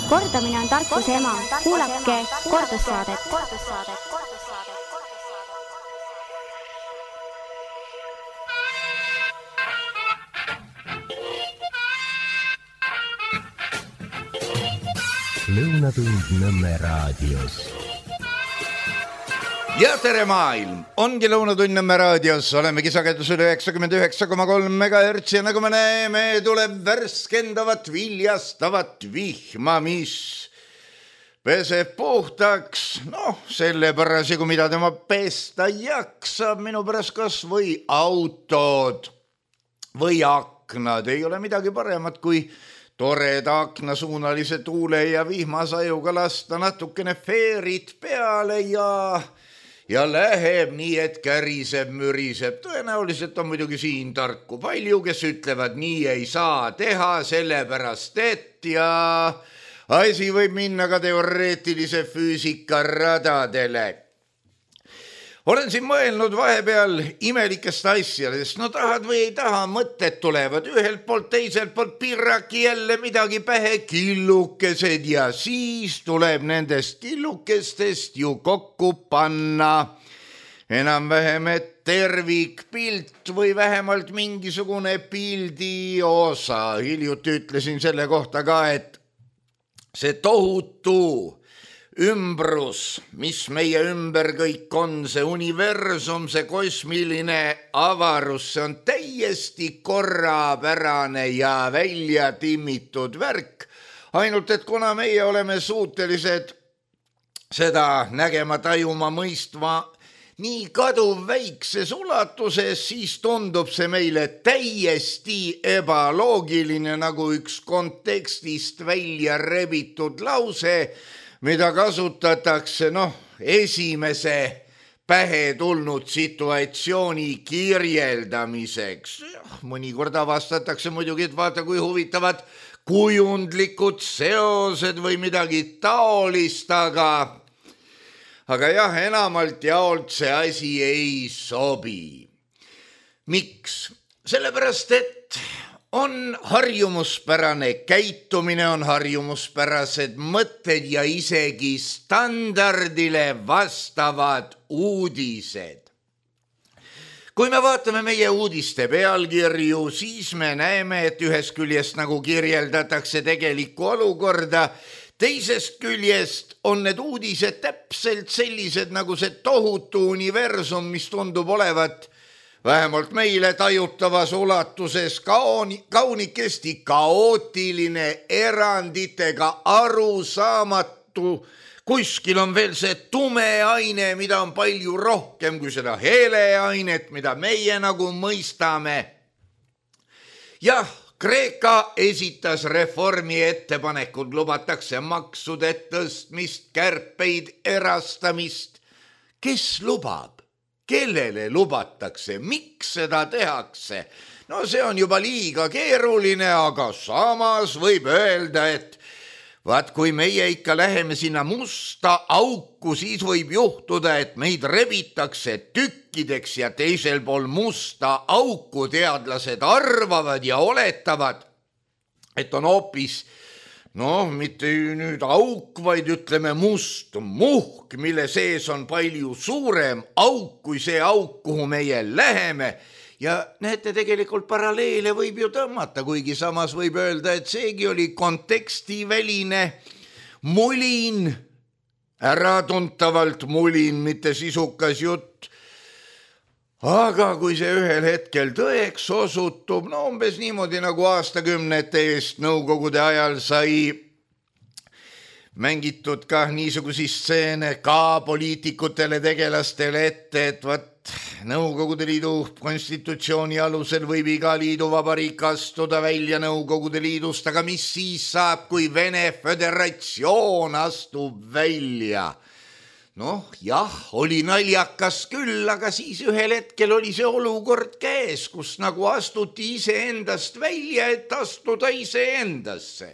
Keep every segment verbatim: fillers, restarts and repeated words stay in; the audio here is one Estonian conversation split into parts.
Kordamine on tarkuse ema. Kuulake kordussaadet. Lõunatund Nõmme raadios. Ja tere maailm! Ongi Lõunatund Nõmme raadios. Olemegi sagedusel üheksakümmend üheksa koma kolm megahertsi ja nagu me näeme, tuleb värskendavat viljastavat vihma, mis peseb puhtaks. Noh, selle parasjagu, mida tema pesta jaksab, minu pärast kas või autod või aknad. Ei ole midagi paremat kui toreda aknasuunalise tuule ja vihmasajuga lasta natukene feerit peale ja, ja läheb nii, et käriseb, müriseb. Tõenäoliselt on muidugi siin tarku palju, kes ütlevad, nii ei saa teha, sellepärast et ja asi võib minna ka teoreetilise füüsika radadele. Olen siin mõelnud vahepeal imelikest asjadest. No tahad või ei taha, mõtted tulevad ühelt poolt, teiselt poolt pirraki jälle midagi pähe, killukesed ja siis tuleb nendest killukestest ju kokku panna enam-vähem et tervikpilt või vähemalt mingisugune pildi osa. Hiljuti ütlesin selle kohta ka, et see tohutu ümbrus, mis meie ümber kõik on, see universum, see kosmiline avarus, see on täiesti korrapärane ja välja timmitud värk. Ainult, et kuna meie oleme suutelised seda nägema, tajuma, mõistma nii kaduv väikses ulatuses, siis tundub see meile täiesti ebaloogiline nagu üks kontekstist välja rebitud lause, mida kasutatakse noh, esimese pähe tulnud situatsiooni kirjeldamiseks. Mõnikord avastatakse muidugi, et vaata kui huvitavad kujundlikud seosed või midagi taolist, aga, aga jah, enamalt jaolt see asi ei sobi. Miks? Sellepärast, et on harjumuspärane käitumine, on harjumuspärased mõtted ja isegi standardile vastavad uudised. Kui me vaatame meie uudiste pealkirju, siis me näeme, et ühest küljest nagu kirjeldatakse tegelikku olukorda, teisest küljest on need uudised täpselt sellised nagu see tohutu universum, mis tundub olevat vähemalt meile tajutavas ulatuses kaoni, kaunikesti kaootiline, eranditega arusaamatu. Kuskil on veel see tume aine, mida on palju rohkem kui seda heleainet, mida meie nagu mõistame. Jah, Kreeka esitas reformi ettepanekud, lubatakse maksude tõstmist, kärpeid, erastamist. Kes lubab? Kellele lubatakse, miks seda tehakse? No see on juba liiga keeruline, aga samas võib öelda, et vaat kui meie ikka läheme sinna musta auku, siis võib juhtuda, et meid rebitakse tükkideks ja teisel pool musta auku teadlased arvavad ja oletavad, et on hoopis noh, mitte nüüd auk, vaid ütleme must muhk, mille sees on palju suurem auk kui see auk, kuhu meie läheme. Ja näete, tegelikult paralleele võib ju tõmmata, kuigi samas võib öelda, et seegi oli kontekstiväline mulin, äratuntavalt mulin, mitte sisukas jutt. Aga kui see ühel hetkel tõeks osutub, no umbes niimoodi nagu aastakümnete eest Nõukogude ajal sai mängitud ka niisugusi stseene ka poliitikutele tegelastele ette, et vat Nõukogude Liidu konstitutsiooni alusel võib iga liiduvabariik astuda välja Nõukogude Liidust, aga mis siis saab, kui Vene Föderatsioon astub välja? Noh, jah, oli naljakas küll, aga siis ühel hetkel oli see olukord käes, kus nagu astuti iseendast välja, et astuda iseendasse.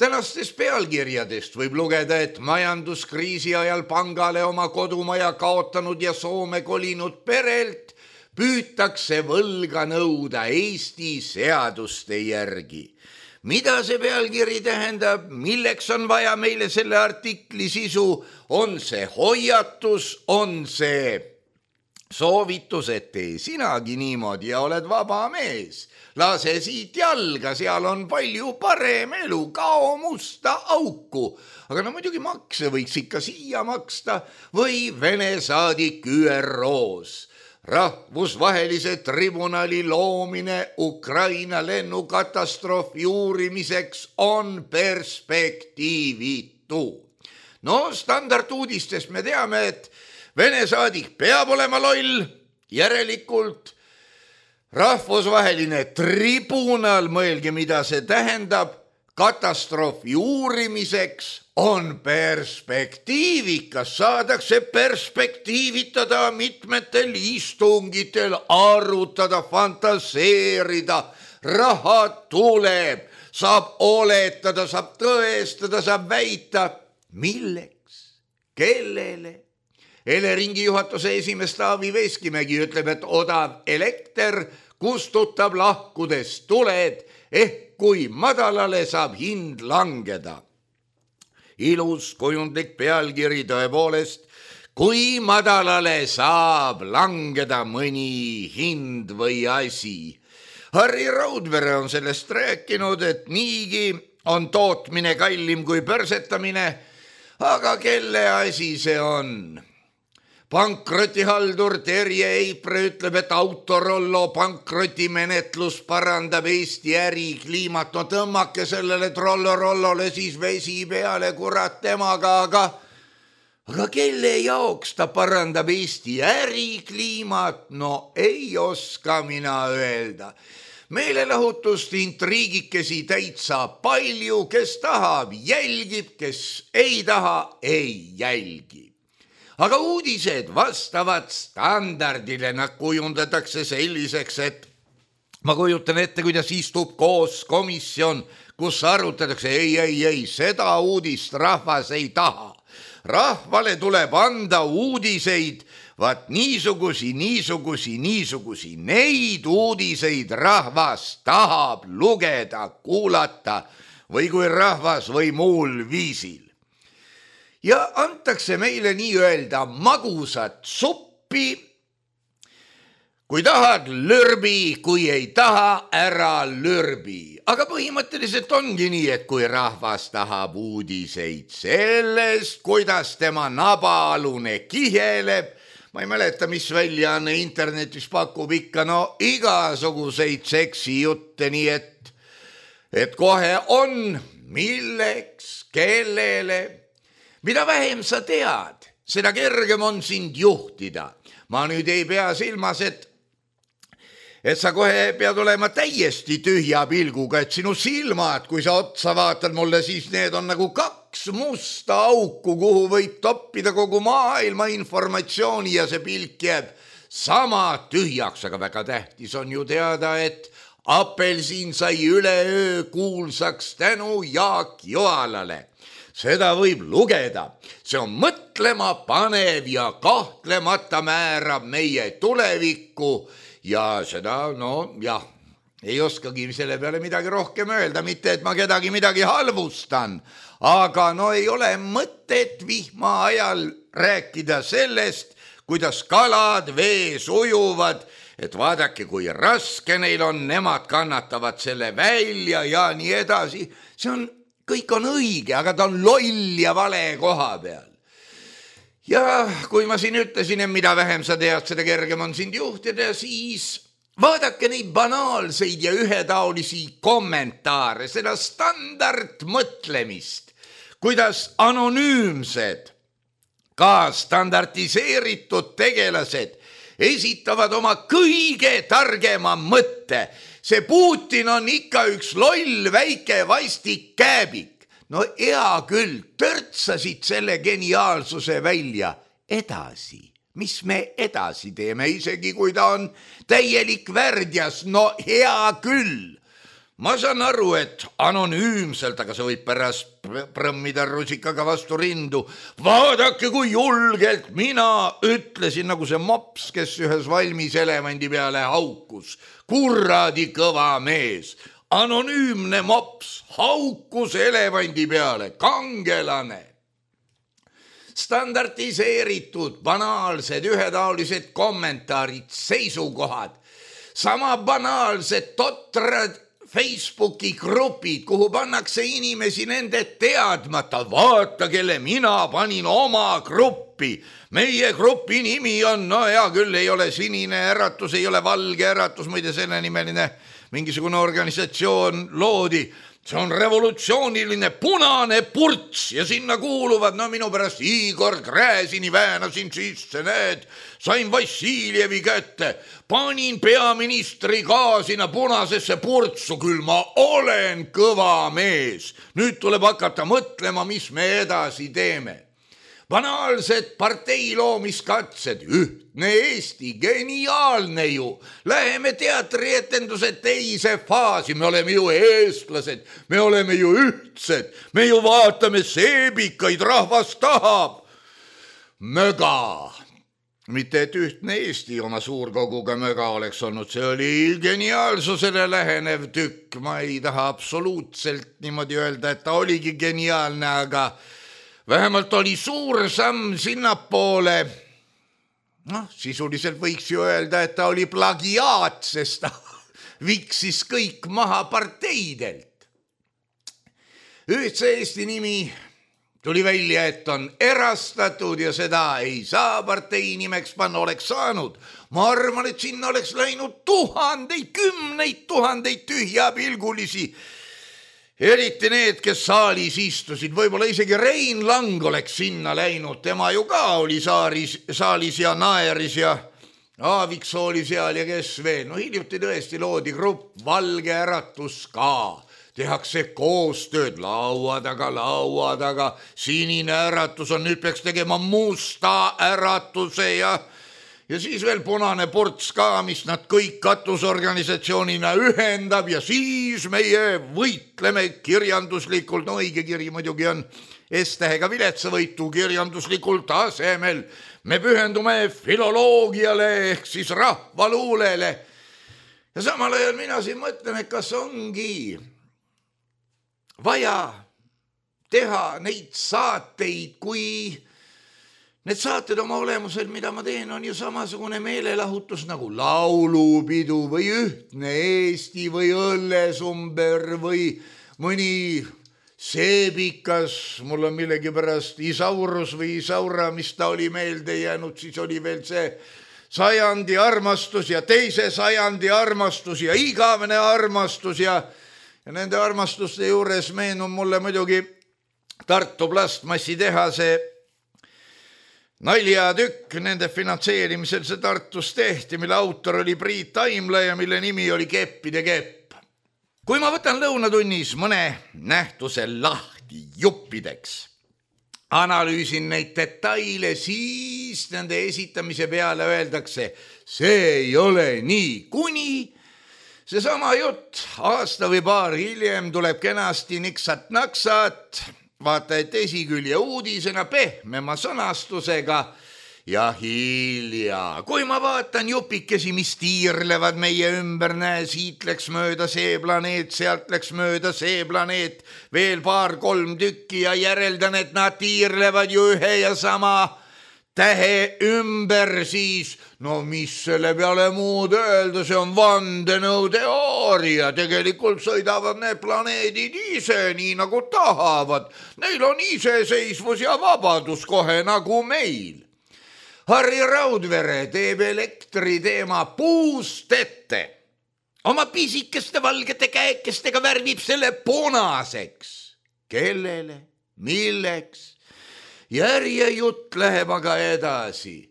Tänastes pealkirjadest võib lugeda, et majanduskriisi ajal pangale oma kodumaja kaotanud ja Soome kolinud perelt püütakse võlga nõuda Eesti seaduste järgi. mida see pealkiri tähendab, milleks on vaja meile selle artikli sisu, on see hoiatus, on see soovitus, et tee sinagi niimoodi ja oled vaba mees. Lase siit jalga, seal on palju parem elu, kao musta auku. Aga no muidugi makse võiks ikka siia maksta või Vene saadik Ü R O-s. Rahvusvahelise tribunali loomine Ukraina lennukatastroofi uurimiseks on perspektiivitu. No standarduudistest me teame, et Vene saadik peab olema loll, järelikult rahvusvaheline tribunal, mõelge, mida see tähendab, katastroofi uurimiseks on perspektiivikas, saadakse perspektiivitada mitmetel istungitel, arutada, fantaseerida, raha tuleb, saab oletada, saab tõestada, saab väita, milleks, kellele. Eleringi juhatuse esimees Taavi Veskimägi ütleb, et odav elekter kustutab lahkudes tuled, ehk kui madalale saab hind langeda. Ilus kujundlik pealkiri tõepoolest, kui madalale saab langeda mõni hind või asi. Harri Raudvere on sellest rääkinud, et niigi on tootmine kallim kui pörsetamine, aga kelle asi see on? Pankrotihaldur Terje Eipre ütleb, et Autorollo pankrotimenetlus parandab Eesti ärikliimat. No tõmmake sellele trollorollole siis vesi peale, kurat temaga, aga, aga kelle jaoks ta parandab Eesti ärikliimat? No ei oska mina öelda. Meelelahutust intriigikesi täitsa palju, kes tahab, jälgib, kes ei taha, ei jälgi. Aga uudised vastavad standardile, nad kujundatakse selliseks, et ma kujutan ette, kuidas istub koos komisjon, kus arutatakse, ei, ei, ei, seda uudist rahvas ei taha. Rahvale tuleb anda uudiseid, vaat niisugusi, niisugusi, niisugusi, neid uudiseid rahvas tahab lugeda, kuulata või kui rahvas või muul viisil. Ja antakse meile nii-öelda magusat suppi. Kui tahad, lürbi, kui ei taha, ära lürbi. Aga põhimõtteliselt ongi nii, et kui rahvas tahab uudiseid sellest, kuidas tema nabaalune kiheleb, ma ei mäleta, mis väljaanne internetis pakub ikka, no igasuguseid seksijutte, nii et, et kohe on, milleks, kellele. Mida vähem sa tead, seda kergem on sind juhtida. Ma nüüd ei pea silmas, et, et sa kohe pead olema täiesti tühja pilguga, et sinu silmad, kui sa otsa vaatad mulle, siis need on nagu kaks musta auku, kuhu võib toppida kogu maailma informatsiooni ja see pilk jääb sama tühjaks, aga väga tähtis on ju teada, et Apelsin sai üleöö kuulsaks tänu Jaak Joalale. Seda võib lugeda, see on mõtlema panev ja kahtlemata määrab meie tulevikku ja seda, no jah, ei oskagi selle peale midagi rohkem öelda, mitte et ma kedagi midagi halvustan, aga no ei ole mõtet vihma ajal rääkida sellest, kuidas kalad vees ujuvad, et vaadake, kui raske neil on, nemad kannatavad selle välja ja nii edasi, see on kõik on õige, aga ta on loll ja vale koha peal. Ja kui ma siin ütlesin, et mida vähem sa tead, seda kergem on sind juhtida, siis vaadake neid banaalseid ja ühetaolisi kommentaare, seda standardmõtlemist, kuidas anonüümsed, ka standardiseeritud tegelased esitavad oma kõige targema mõtte. See Putin on ikka üks loll väike vastik kääbik. No hea küll, törtsasid selle geniaalsuse välja edasi. Mis me edasi teeme, isegi kui ta on täielik värdjas? No hea küll. Ma saan aru, et anonüümselt, aga sa võid pärast prõmmida rusikaga vastu rindu. Vaadake, kui julgelt mina ütlesin, nagu see mops, kes ühes valmis elevandi peale haukus. Kuradi kõva mees. anonüümne mops haukus elevandi peale, kangelane. Standardiseeritud, banaalsed, ühetaolised kommentaarid, seisukohad, sama banaalsed, totrad Facebooki grupid, kuhu pannakse inimesi nende teadmata. Vaata, kelle mina panin oma gruppi. Meie grupi nimi on, no hea küll, ei ole sinine äratus, ei ole valge äratus, muide selle nimeline mingisugune organisatsioon loodi. See on revolutsiooniline punane purts ja sinna kuuluvad, no minu pärast Igor Gräzini väänasin sisse, need, sain Vassiljevi kätte, panin peaministri ka sinna punasesse purtsu, küll ma olen kõva mees. Nüüd tuleb hakata mõtlema, mis me edasi teeme. Banaalsed partei loomiskatsed, ühtne Eesti, geniaalne ju. Läheme teatrietendused teise faasi, me oleme ju eestlased, me oleme ju ühtsed, me ju vaatame seebikaid, rahvas tahab. Möga, mitte et ühtne Eesti oma suurkoguga möga oleks olnud, see oli geniaalsusele lähenev tükk. Ma ei taha absoluutselt niimoodi öelda, et ta oligi geniaalne, aga vähemalt oli suur samm sinnapoole. Noh, sisuliselt võiks ju öelda, et ta oli plagiaat, sest ta viksis kõik maha parteidelt. Ühtse Eesti nimi tuli välja, et on erastatud ja seda ei saa partei nimeks panna, oleks saanud. Ma arvan, et sinna oleks läinud tuhandeid, kümneid tuhandeid tühjapilgulisi. Eriti need, kes saalis istusid, võib-olla isegi Rein Lang oleks sinna läinud, tema ju ka oli saalis, saalis ja naeris ja Aaviksoo oli seal ja kes veel. No hiljuti tõesti loodi grupp Valge äratus ka. Tehakse koostööd laua taga, laua taga. Sinine äratus on, nüüd peaks tegema musta äratuse ja Ja siis veel punane ports ka, mis nad kõik katusorganisatsioonina ühendab ja siis meie võitleme kirjanduslikult, no õige kiri muidugi on S-tähega viletsavõitu kirjanduslikul tasemel. Me pühendume filoloogiale ehk siis rahvaluulele. Ja samal ajal mina siin mõtlen, et kas ongi vaja teha neid saateid, kui need saated oma olemusel, mida ma teen, on ju samasugune meelelahutus nagu laulupidu või ühtne Eesti või õllesumber või mõni seebikas, mul on millegi pärast Isaurus või Isaura, mis ta oli meelde jäänud, siis oli veel see sajandi armastus ja teise sajandi armastus ja igavene armastus ja, ja nende armastuste juures meenub mulle muidugi Tartu plastmassitehase naljatükk, nende finantseerimisel see Tartus tehti, mille autor oli Priit Taimla ja mille nimi oli Keppide kepp. Kui ma võtan lõunatunnis mõne nähtuse lahti juppideks, analüüsin neid detaile, siis nende esitamise peale öeldakse, see ei ole nii, kuni seesama jutt aasta või paar hiljem tuleb kenasti niksat-naksat, vaata, et esikülje uudisena pehmema sõnastusega ja hilja. Kui ma vaatan jupikesi, mis tiirlevad meie ümber, näe, siit läks mööda see planeet, sealt läks mööda see planeet, veel paar-kolm tükki ja järeldan, et nad tiirlevad ju ühe ja sama tähe ümber, siis no mis selle peale muud öelda, see on vandenõuteooria, tegelikult sõidavad need planeedid ise nii nagu tahavad, neil on iseseisvus ja vabadus kohe nagu meil. Harri Raudvere teeb elektri teema puust ette, oma pisikeste valgete käekestega värvib selle punaseks. Kellele? Milleks? Järjejutt läheb aga edasi.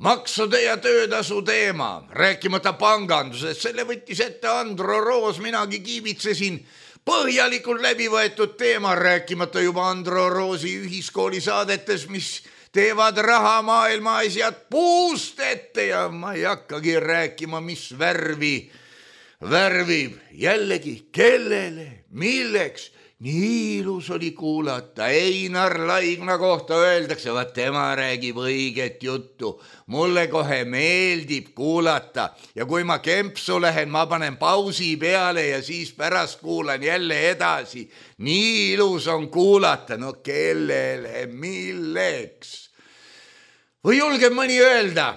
Maksude ja töötasu teema, rääkimata pangandusest, selle võttis ette Andro Roos, minagi kiibitsesin põhjalikult läbi võetud teema, rääkimata juba Andro Roosi ühiskooli saadetes, mis teevad raha maailma asjad puust ette ja ma ei hakkagi rääkima, mis värvi värvib jällegi, kellele, milleks nii ilus oli kuulata. Einar Laigna kohta öeldakse, vaat tema räägib õiget juttu. Mulle kohe meeldib kuulata ja kui ma kempsu lähen, ma panen pausi peale ja siis pärast kuulan jälle edasi. Nii ilus on kuulata, no kellele, milleks? Või julgeb mõni öelda?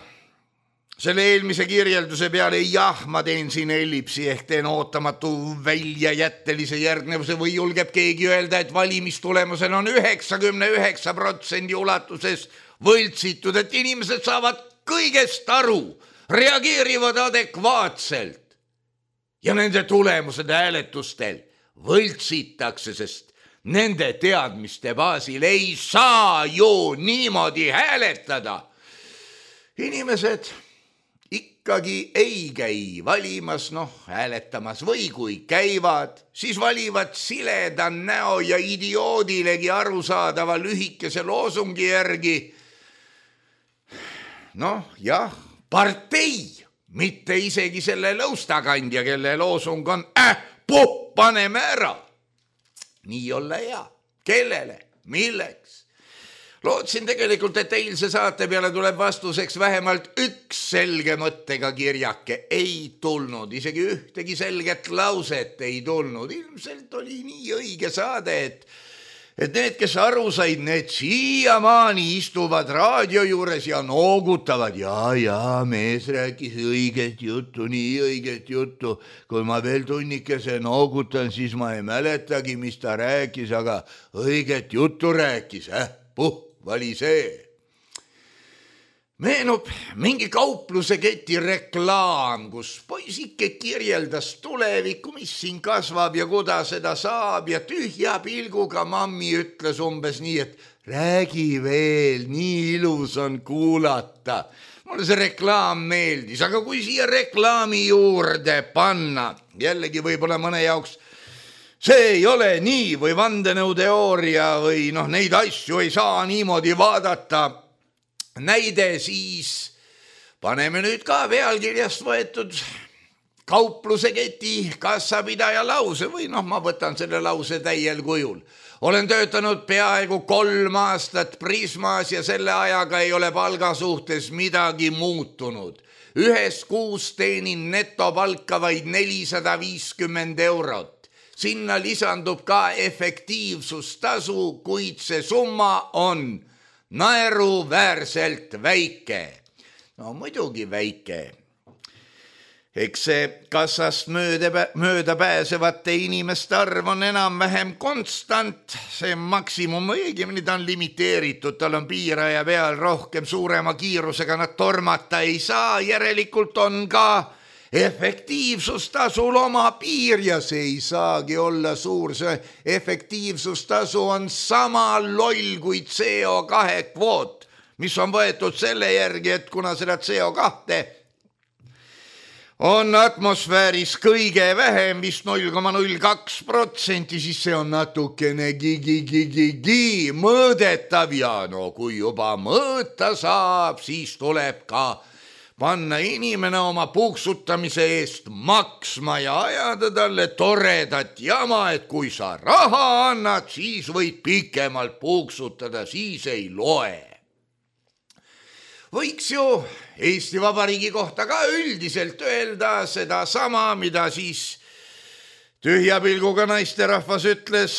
Selle eelmise kirjelduse peale, jah, ma teen siin ellipsi ehk teen ootamatu väljajättelise järgnevuse või julgeb keegi öelda, et valimistulemusel on üheksakümne üheksa protsendi ulatuses võltsitud, et inimesed saavad kõigest aru, reageerivad adekvaatselt ja nende tulemused hääletustel võltsitakse, sest nende teadmiste baasil ei saa ju niimoodi hääletada. Inimesed ikkagi ei käi valimas, noh, hääletamas või kui käivad, siis valivad sileda näo ja idioodilegi arusaadava lühikese loosungi järgi. Noh, jah, partei, mitte isegi selle lõustakandja, kelle loosung on äh, puh, paneme ära. Nii olla hea. Kellele? Milleks? Lootsin tegelikult, et eilse saate peale tuleb vastuseks vähemalt üks selge mõttega kirjake. Ei tulnud, isegi ühtegi selget lauset ei tulnud. Ilmselt oli nii õige saade, et, et need, kes aru said, need siiamaani istuvad raadio juures ja noogutavad. Ja, ja, mees rääkis õiget juttu, nii õiget juttu. Kui ma veel tunnikese noogutan, siis ma ei mäletagi, mis ta rääkis, aga õiget juttu rääkis, eh? Puh! Vali see. Meenub mingi kaupluse keti reklaam, kus poisike kirjeldas tulevikku, mis siin kasvab ja kuda seda saab ja tühja pilguga mammi ütles umbes nii, et räägi veel, nii ilus on kuulata. Mulle see reklaam meeldis, aga kui siia reklaami juurde panna, jällegi võib-olla mõne jaoks see ei ole nii või vandenõuteooria või noh, neid asju ei saa niimoodi vaadata. Näide siis paneme nüüd ka pealkirjast võetud kaupluse keti kassapidaja lause või noh, ma võtan selle lause täiel kujul. Olen töötanud peaaegu kolm aastat Prismas ja selle ajaga ei ole palga suhtes midagi muutunud. Ühes kuus teenin netopalka vaid nelisada viiskümmend eurot. Sinna lisandub ka efektiivsustasu, kuid see summa on naeruväärselt väike. No muidugi väike. Eks see kassast mööda, mööda pääsevate inimeste arv on enam-vähem konstant. See maksimum õigemini ta on limiteeritud, tal on piiraja peal rohkem suurema kiirusega nad tormata ei saa. Järelikult on ka efektiivsustasul oma piir ja see ei saagi olla suur. See efektiivsustasu on sama loll kui C O kahe kvoot, mis on võetud selle järgi, et kuna seda C O kahte on atmosfääris kõige vähem, vist null koma null kaks protsenti, siis see on natukene gigi-gigi-gigi mõõdetav ja no kui juba mõõta saab, siis tuleb ka panna inimene oma puuksutamise eest maksma ja ajada talle toredat jama, et kui sa raha annad, siis võid pikemalt puuksutada, siis ei loe. Võiks ju Eesti Vabariigi kohta ka üldiselt öelda seda sama, mida siis tühja pilguga naisterahvas ütles.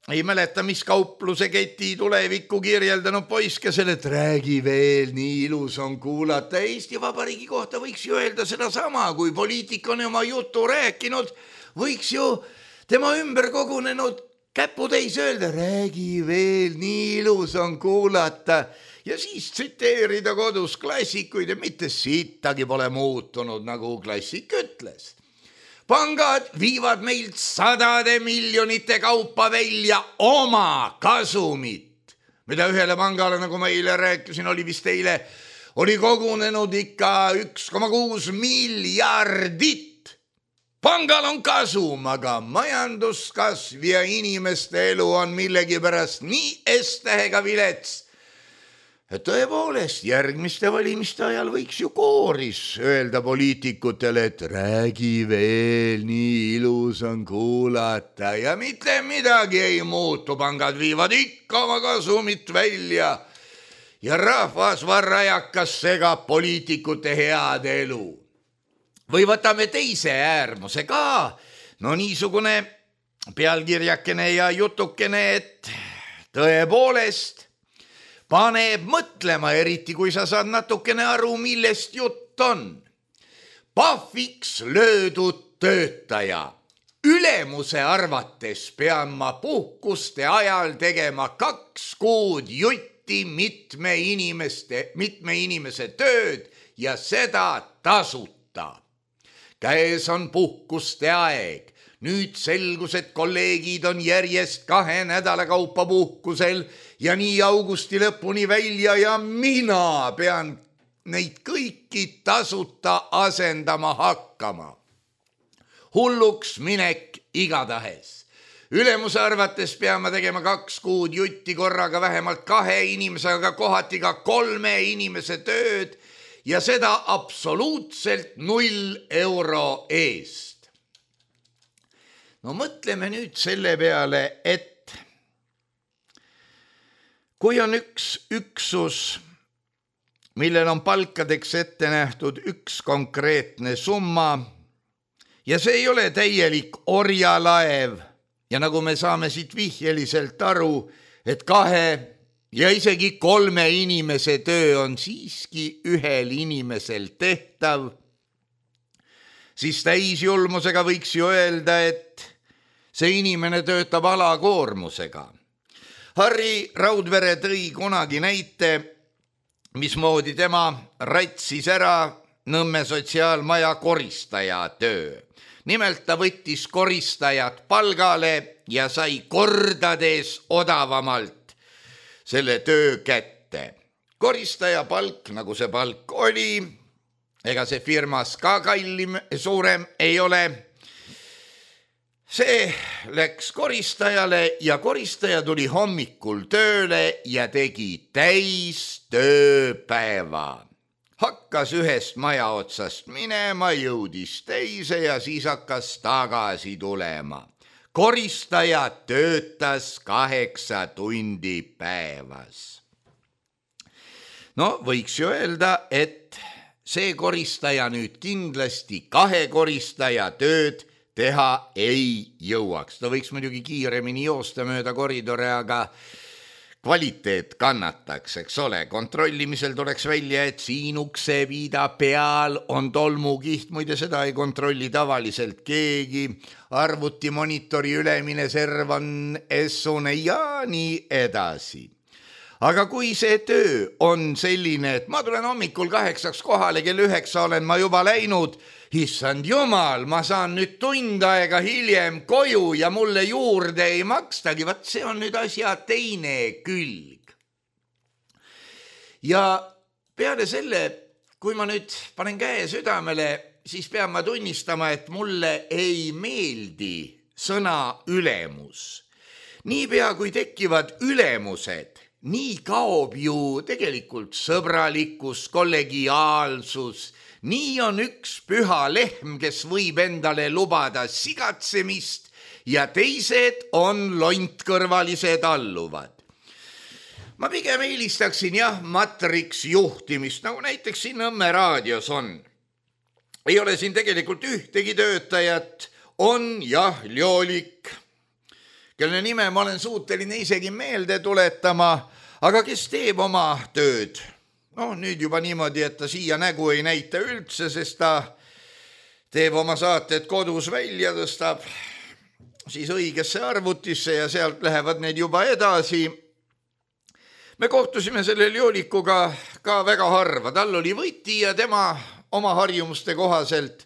Ei mäleta, mis kaupluse keti tulevikku kirjeldanud poiskesel, et räägi veel, nii ilus on kuulata. Eesti Vabariigi kohta võiks ju öelda seda sama, kui poliitik on oma jutu rääkinud, võiks ju tema ümber kogunenud käputäis öelda, räägi veel, nii ilus on kuulata. Ja siis tsiteerida kodus klassikuid ja mitte sittagi pole muutunud, nagu klassik ütles. Pangad viivad meilt sadade miljonite kaupa välja oma kasumit, mida ühele pangale, nagu ma eile rääkisin, oli vist eile, oli kogunenud ikka üks koma kuus miljardit. Pangal on kasum, aga majanduskasv ja inimeste elu on millegipärast nii S-tähega vilets, tõepoolest, järgmiste valimiste ajal võiks ju kooris öelda poliitikutele, et räägi veel, nii ilus on kuulata ja mitte midagi ei muutu, pangad viivad ikka oma kasumit välja ja rahvas varrajakas segab poliitikute head elu. Või võtame teise äärmuse ka, no niisugune pealkirjakene ja jutukene, et tõepoolest paneb mõtlema, eriti kui sa saad natukene aru, millest jutt on. Pahviks löödud töötaja. Ülemuse arvates pean ma puhkuste ajal tegema kaks kuud jutti mitme inimeste, mitme inimese tööd ja seda tasuta. Käes on puhkuste aeg. Nüüd selgus, et kolleegid on järjest kahe nädala kaupa puhkusel ja nii augusti lõpuni välja ja mina pean neid kõiki tasuta asendama hakkama. Hulluks minek igatahes. Ülemuse arvates pean ma tegema kaks kuud jutti korraga vähemalt kahe inimesega, kohati ka kolme inimese tööd ja seda absoluutselt null euro eest. No mõtleme nüüd selle peale, et kui on üks üksus, millel on palkadeks ette nähtud üks konkreetne summa ja see ei ole täielik orjalaev ja nagu me saame siit vihjeliselt aru, et kahe ja isegi kolme inimese töö on siiski ühel inimesel tehtav, siis täisjulmusega võiks ju öelda, et see inimene töötab alakoormusega. Harri Raudvere tõi kunagi näite, mismoodi tema ratsis ära Nõmme sotsiaalmaja koristaja töö. Nimelt ta võttis koristajat palgale ja sai kordades odavamalt selle töö kätte. Koristaja palk, nagu see palk oli, ega see firmas ka kallim, suurem ei ole. See läks koristajale ja koristaja tuli hommikul tööle ja tegi täis tööpäeva. Hakkas ühest maja otsast minema, jõudis teise ja siis hakkas tagasi tulema. Koristaja töötas kaheksa tundi päevas. No võiks ju öelda, et see koristaja nüüd kindlasti kahe koristaja tööd teha ei jõuaks. Ta võiks muidugi kiiremini joosta mööda koridore, aga kvaliteet kannataks, eks ole. Kontrollimisel tuleks välja, et siin ukse viida peal on tolmukiht, muide seda ei kontrolli tavaliselt keegi. Arvuti monitori ülemine serv on essune ja nii edasi. Aga kui see töö on selline, et ma tulen hommikul kaheksaks kohale, kell üheksa olen ma juba läinud, issand jumal, ma saan nüüd tund aega hiljem koju ja mulle juurde ei makstagi, vaat see on nüüd asja teine külg. Ja peale selle, kui ma nüüd panen käe südamele, siis pean ma tunnistama, et mulle ei meeldi sõna ülemus. Niipea kui tekivad ülemused, nii kaob ju tegelikult sõbralikkus, kollegiaalsus. Nii on üks püha lehm, kes võib endale lubada sigatsemist ja teised on lontkõrvalised alluvad. Ma pigem eelistaksin jah matriks juhtimist, nagu näiteks siin Nõmme raadios on. Ei ole siin tegelikult ühtegi töötajat, on jah Ljolik, kelle nime ma olen suuteline isegi meelde tuletama, aga kes teeb oma tööd. No nüüd juba niimoodi, et ta siia nägu ei näita üldse, sest ta teeb oma saated kodus välja, tõstab siis õigesse arvutisse ja sealt lähevad need juba edasi. Me kohtusime selle Ljolikuga ka väga harva, tal oli võti ja tema oma harjumuste kohaselt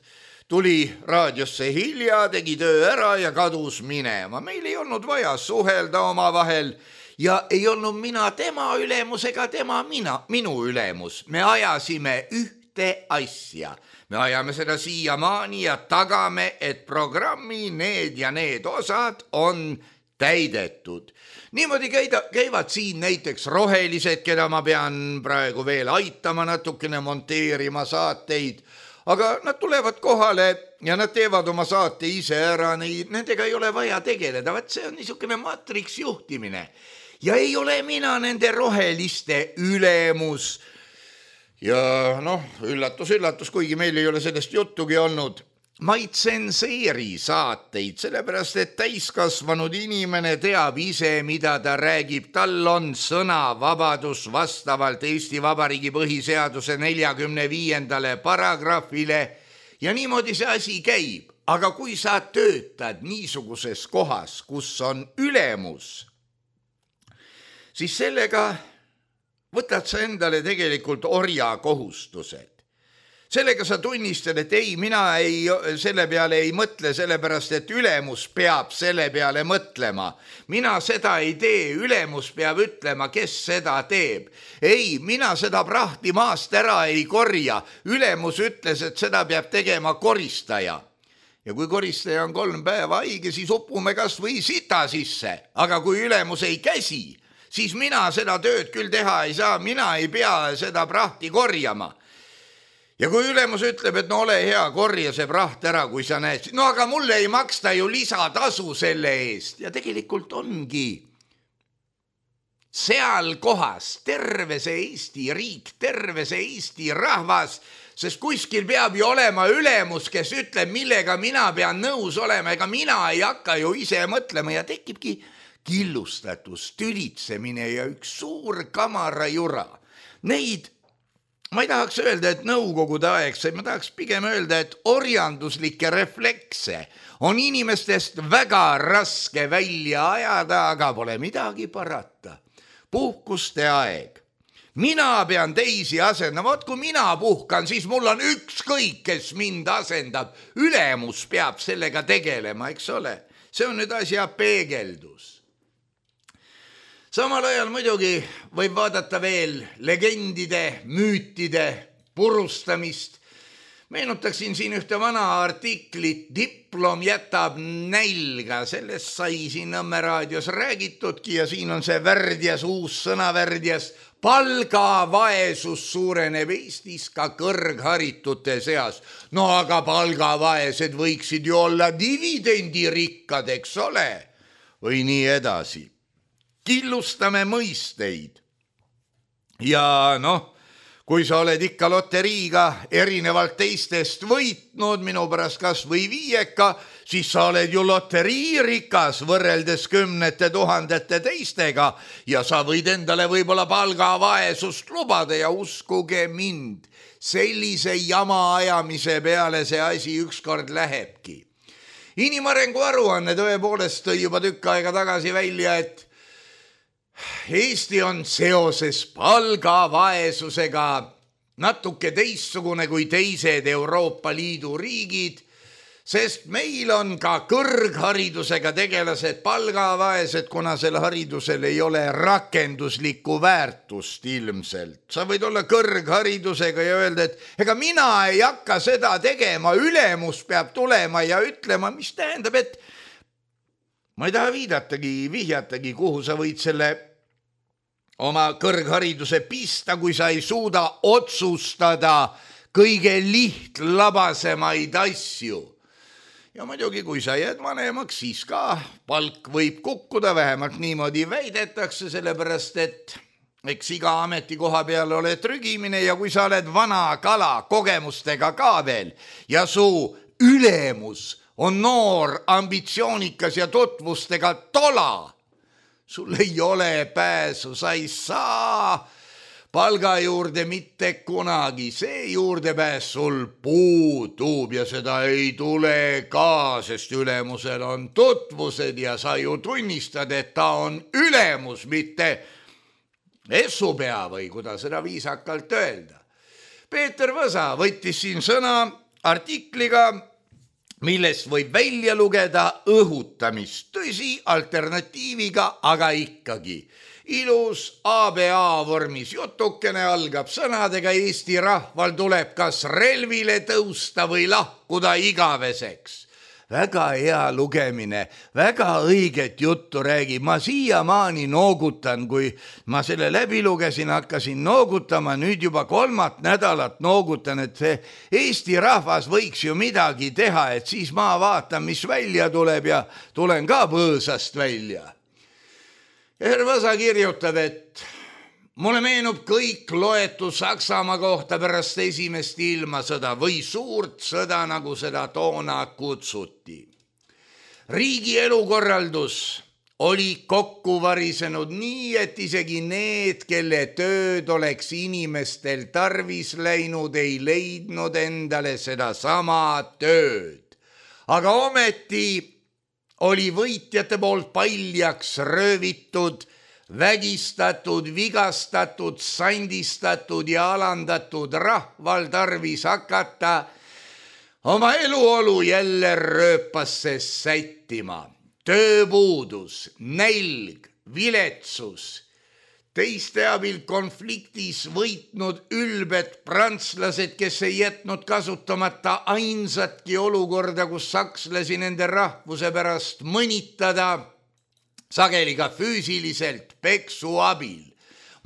tuli raadiosse hilja, tegi töö ära ja kadus minema. Meil ei olnud vaja suhelda oma vahel ja ei olnud mina tema ülemus ega tema mina, minu ülemus. Me ajasime ühte asja. Me ajame seda siiamaani ja tagame, et programmi need ja need osad on täidetud. Niimoodi käida, käivad siin näiteks rohelised, keda ma pean praegu veel aitama natukene monteerima saateid, aga nad tulevad kohale ja nad teevad oma saate ise ära, nendega ei ole vaja tegeleda, vaat see on niisugune matriks juhtimine. Ja ei ole mina nende roheliste ülemus. Ja noh, üllatus, üllatus, kuigi meil ei ole sellest juttugi olnud. Ma ei tsenseeri saateid, sellepärast et täiskasvanud inimene teab ise, mida ta räägib. Tal on sõnavabadus vastavalt Eesti Vabariigi põhiseaduse neljakümne viiendale paragrahvile ja niimoodi see asi käib. Aga kui sa töötad niisuguses kohas, kus on ülemus, siis sellega võtad sa endale tegelikult orja kohustused. Sellega sa tunnistad, et ei, mina ei, selle peale ei mõtle, sellepärast, et ülemus peab selle peale mõtlema. Mina seda ei tee, ülemus peab ütlema, kes seda teeb. Ei, mina seda prahti maast ära ei korja. Ülemus ütles, et seda peab tegema koristaja. Ja kui koristaja on kolm päeva haige, siis upume kas või sita sisse. Aga kui ülemus ei käsi, siis mina seda tööd küll teha ei saa, mina ei pea seda prahti korjama. Ja kui ülemus ütleb, et no ole hea, korja see praht ära, kui sa näed, no aga mulle ei maksta ju lisatasu selle eest. Ja tegelikult ongi seal kohas terve see Eesti riik, terve see Eesti rahvas, sest kuskil peab ju olema ülemus, kes ütleb, millega mina pean nõus olema, ega mina ei hakka ju ise mõtlema ja tekibki killustatus, tülitsemine ja üks suur kamara jura. Neid, ma ei tahaks öelda, et nõukogude aegse, ma tahaks pigem öelda, et orjanduslikke reflekse on inimestest väga raske välja ajada, aga pole midagi parata. Puhkuste aeg. Mina pean teisi asendama, vaat kui mina puhkan, siis mul on ükskõik, kes mind asendab. Ülemus peab sellega tegelema, eks ole? See on nüüd asja peegeldus. Samal ajal muidugi võib vaadata veel legendide, müütide purustamist. Meenutaksin siin ühte vana artiklit, diplom jätab nälga, sellest sai siin Nõmme raadios räägitudki ja siin on see värdjas, uus sõna värdjas. Palgavaesus suureneb Eestis ka kõrgharitute seas. No aga palgavaesed võiksid ju olla dividendirikkad, eks ole? Või nii edasi. Killustame mõisteid. Ja noh, kui sa oled ikka loteriiga erinevalt teistest võitnud, minu pärast kas või viieka, siis sa oled ju loteriirikas võrreldes kümnete tuhandete teistega ja sa võid endale võib-olla palgavaesust lubada ja uskuge mind, sellise jama ajamise peale see asi ükskord lähebki. Inimarengu aruanne tõepoolest tõi juba tükk aega tagasi välja, et Eesti on seoses palgavaesusega natuke teistsugune kui teised Euroopa Liidu riigid, sest meil on ka kõrgharidusega tegelased palgavaesed, kuna sel haridusel ei ole rakenduslikku väärtust ilmselt. Sa võid olla kõrgharidusega ja öelda, et ega mina ei hakka seda tegema, ülemus peab tulema ja ütlema, mis tähendab, et ma ei taha viidatagi, vihjatagi, kuhu sa võid selle oma kõrghariduse pista, kui sa ei suuda otsustada kõige lihtlabasemaid asju. Ja muidugi, kui sa jääd vanemaks, siis ka palk võib kukkuda, vähemalt niimoodi väidetakse, sellepärast et eks iga ametikoha peale ole trügimine ja kui sa oled vana kala kogemustega ka veel ja su ülemus on noor, ambitsioonikas ja tutvustega tola, sul ei ole pääsu, sa ei saa palga juurde mitte kunagi, see juurdepääs sul puudub ja seda ei tule ka, sest ülemusel on tutvused ja sa ju tunnistad, et ta on ülemus, mitte essupea või kuidas seda viisakalt öelda. Peeter Võsa võttis siin sõna artikliga, millest võib välja lugeda õhutamist, tõsi, alternatiiviga, aga ikkagi. Ilus A B A vormis jutukene algab sõnadega Eesti rahval tuleb kas relvile tõusta või lahkuda igaveseks. väga hea lugemine, väga õiget juttu räägib, ma siiamaani noogutan, kui ma selle läbi lugesin, hakkasin noogutama, nüüd juba kolmat nädalat noogutan, et see Eesti rahvas võiks ju midagi teha, et siis ma vaatan, mis välja tuleb ja tulen ka põõsast välja. Hervõsa kirjutab, et mulle meenub kõik loetu Saksamaa kohta pärast esimest ilmasõda või suurt sõda, nagu seda toona kutsuti. Riigi elukorraldus oli kokku varisenud nii, et isegi need, kelle tööd oleks inimestel tarvis läinud, ei leidnud endale seda sama tööd. Aga ometi oli võitjate poolt paljaks röövitud, vägistatud, vigastatud, sandistatud ja alandatud rahval tarvis hakata oma eluolu jälle rööpasse sättima. Tööpuudus, nälg, viletsus, teiste abil konfliktis võitnud ülbed prantslased, kes ei jätnud kasutamata ainsatki olukorda, kus sakslasi nende rahvuse pärast mõnitada, sageli ka füüsiliselt peksu abil.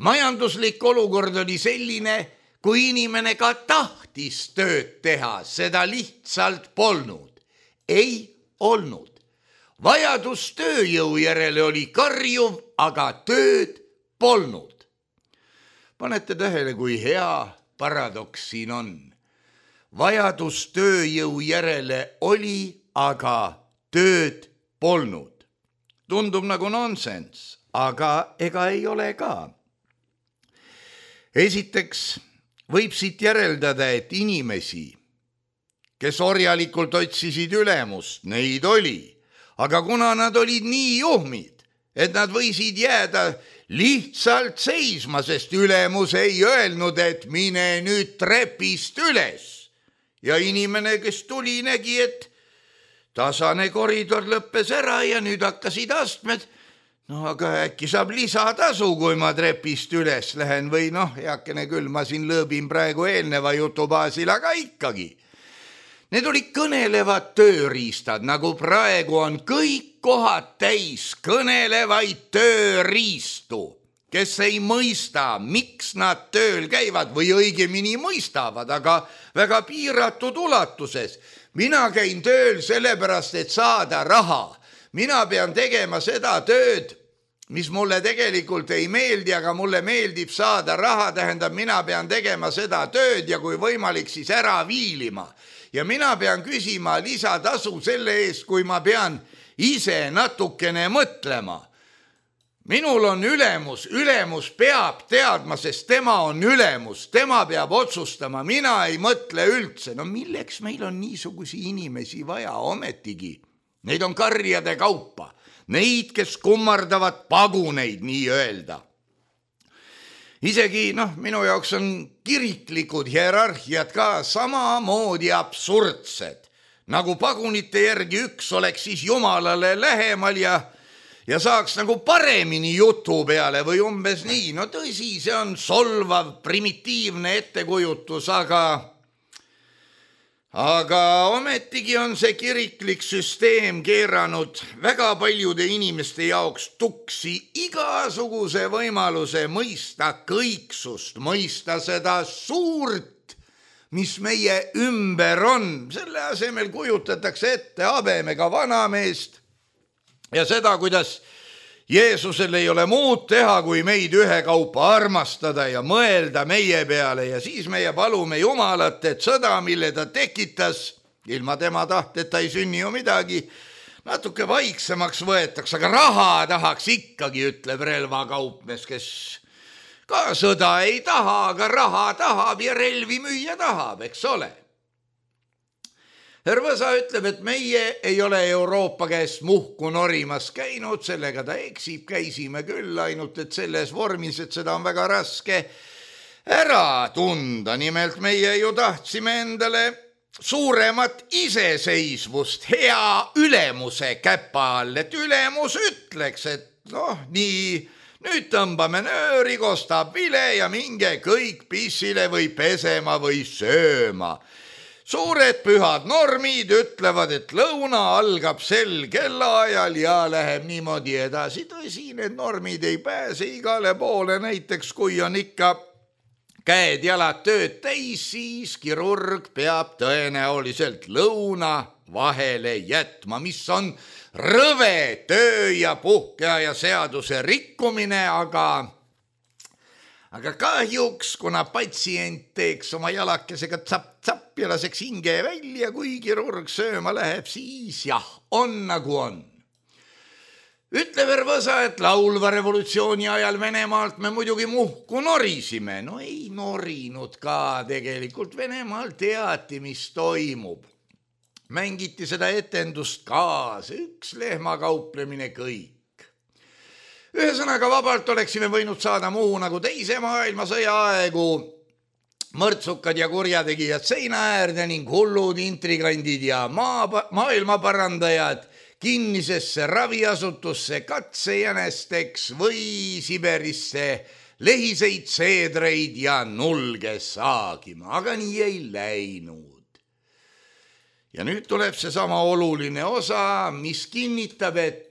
Majanduslik olukord oli selline, kui inimene ka tahtis tööd teha, seda lihtsalt polnud. Ei olnud. Vajadus tööjõu järele oli karjuv, aga tööd polnud. Panete tähele, kui hea paradoks siin on. Vajadus tööjõu järele oli, aga tööd polnud. Tundub nagu nonsense, aga ega ei ole ka. Esiteks võib siit järeldada, et inimesi, kes orjalikult otsisid ülemust, neid oli, aga kuna nad olid nii juhmid, et nad võisid jääda lihtsalt seisma, sest ülemus ei öelnud, et mine nüüd trepist üles. Ja inimene, kes tuli, nägi, et tasane koridor lõppes ära ja nüüd hakkasid astmed. No aga äkki saab lisatasu, kui ma trepist üles lähen või noh, heakene küll, ma siin lõõbin praegu eelneva jutu baasil, aga ikkagi. Need olid kõnelevad tööriistad, nagu praegu on kõik kohad täis kõnelevaid tööriistu, kes ei mõista, miks nad tööl käivad või õigemini mõistavad, aga väga piiratud ulatuses. Mina käin tööl sellepärast, et saada raha. Mina pean tegema seda tööd, mis mulle tegelikult ei meeldi, aga mulle meeldib saada raha, tähendab, mina pean tegema seda tööd ja kui võimalik, siis ära viilima. Ja mina pean küsima lisatasu selle eest, kui ma pean ise natukene mõtlema. Minul on ülemus, ülemus peab teadma, sest tema on ülemus, tema peab otsustama, mina ei mõtle üldse. No milleks meil on niisugusi inimesi vaja ometigi? Neid on karjade kaupa, neid, kes kummardavad paguneid, nii öelda. Isegi, noh, minu jaoks on kiriklikud hierarhiad ka samamoodi absurdsed, nagu pagunite järgi üks oleks siis Jumalale lähemal ja ja saaks nagu paremini jutu peale või umbes nii. No tõsi, see on solvav, primitiivne ettekujutus, aga aga ometigi on see kiriklik süsteem keeranud väga paljude inimeste jaoks tuksi igasuguse võimaluse mõista kõiksust, mõista seda suurt, mis meie ümber on. Selle asemel kujutatakse ette habemega vanameest, ja seda, kuidas Jeesusel ei ole muud teha, kui meid ühekaupa armastada ja mõelda meie peale ja siis meie palume Jumalat, et sõda, mille ta tekitas, ilma tema tahteta ei sünni ju midagi, natuke vaiksemaks võetaks, aga raha tahaks ikkagi, ütleb relvakaupmees, kes ka sõda ei taha, aga raha tahab ja relvi müüa tahab, eks ole. Hervõsa ütleb, et meie ei ole Euroopa käest muhku norimas käinud, sellega ta eksib, käisime küll, ainult et selles vormis, et seda on väga raske ära tunda. Nimelt meie ju tahtsime endale suuremat iseseisvust hea ülemuse käpa all, et ülemus ütleks, et noh, nii, nüüd tõmbame nööri, kostab vile ja minge kõik pissile või pesema või sööma. suured pühad normid ütlevad, et lõuna algab sel kellaajal ja läheb niimoodi edasi. Tõsi, need normid ei pääse igale poole, näiteks kui on ikka käed jalad tööd täis, siis kirurg peab tõenäoliselt lõuna vahele jätma, mis on rõve töö ja puhkeaja seaduse rikkumine, aga Aga kahjuks, kuna patsient teeks oma jalakesega tsapp-tsapp ja laseks hinge välja, kui kirurg sööma läheb, siis jah, on nagu on. Ütleb Ervõsa, et laulva revolutsiooni ajal Venemaalt me muidugi muhku norisime. No ei norinud ka tegelikult, Venemaal teati, mis toimub. Mängiti seda etendust kaasa, üks lehmakauplemine kõik. Ühesõnaga vabalt oleksime võinud saada muu nagu teise maailmasõja aegu, mõrtsukad ja kurjategijad seina äärde ning hullud intrigandid ja maa, maailmaparandajad kinnisesse raviasutusse katsejänesteks või Siberisse lehiseid seedreid ja nulge saagima, aga nii ei läinud. Ja nüüd tuleb see sama oluline osa, mis kinnitab, et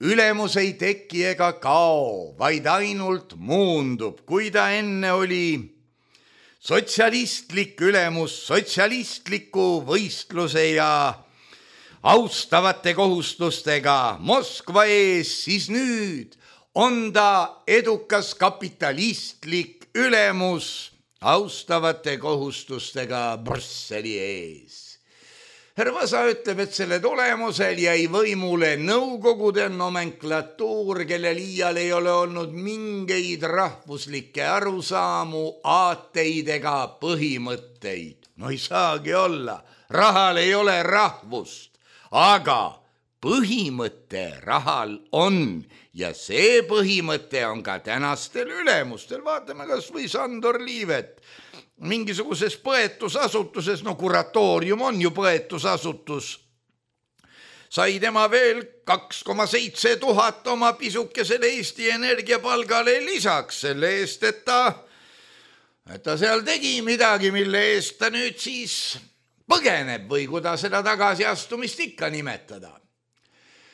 ülemus ei teki ega kao, vaid ainult muundub, kui ta enne oli sotsialistlik ülemus sotsialistliku võistluse ja austavate kohustustega Moskva ees, siis nüüd on ta edukas kapitalistlik ülemus austavate kohustustega Brüsseli ees. Ervõsa ütleb, et selle tulemusel jäi võimule nõukogude nomenklatuur, kellel iial ei ole olnud mingeid rahvuslikke arusaamu, aateid ega põhimõtteid. No ei saagi olla, rahal ei ole rahvust, aga põhimõte rahal on ja see põhimõte on ka tänastel ülemustel. Vaatame kas või Sandor Liivet. Mingisuguses põetusasutuses, no kuratoorium on ju põetusasutus, sai tema veel kaks koma seitse tuhat oma pisukesele Eesti Energia palgale lisaks selle eest, et ta, et ta seal tegi midagi, mille eest ta nüüd siis põgeneb või kuida seda tagasiastumist ikka nimetada.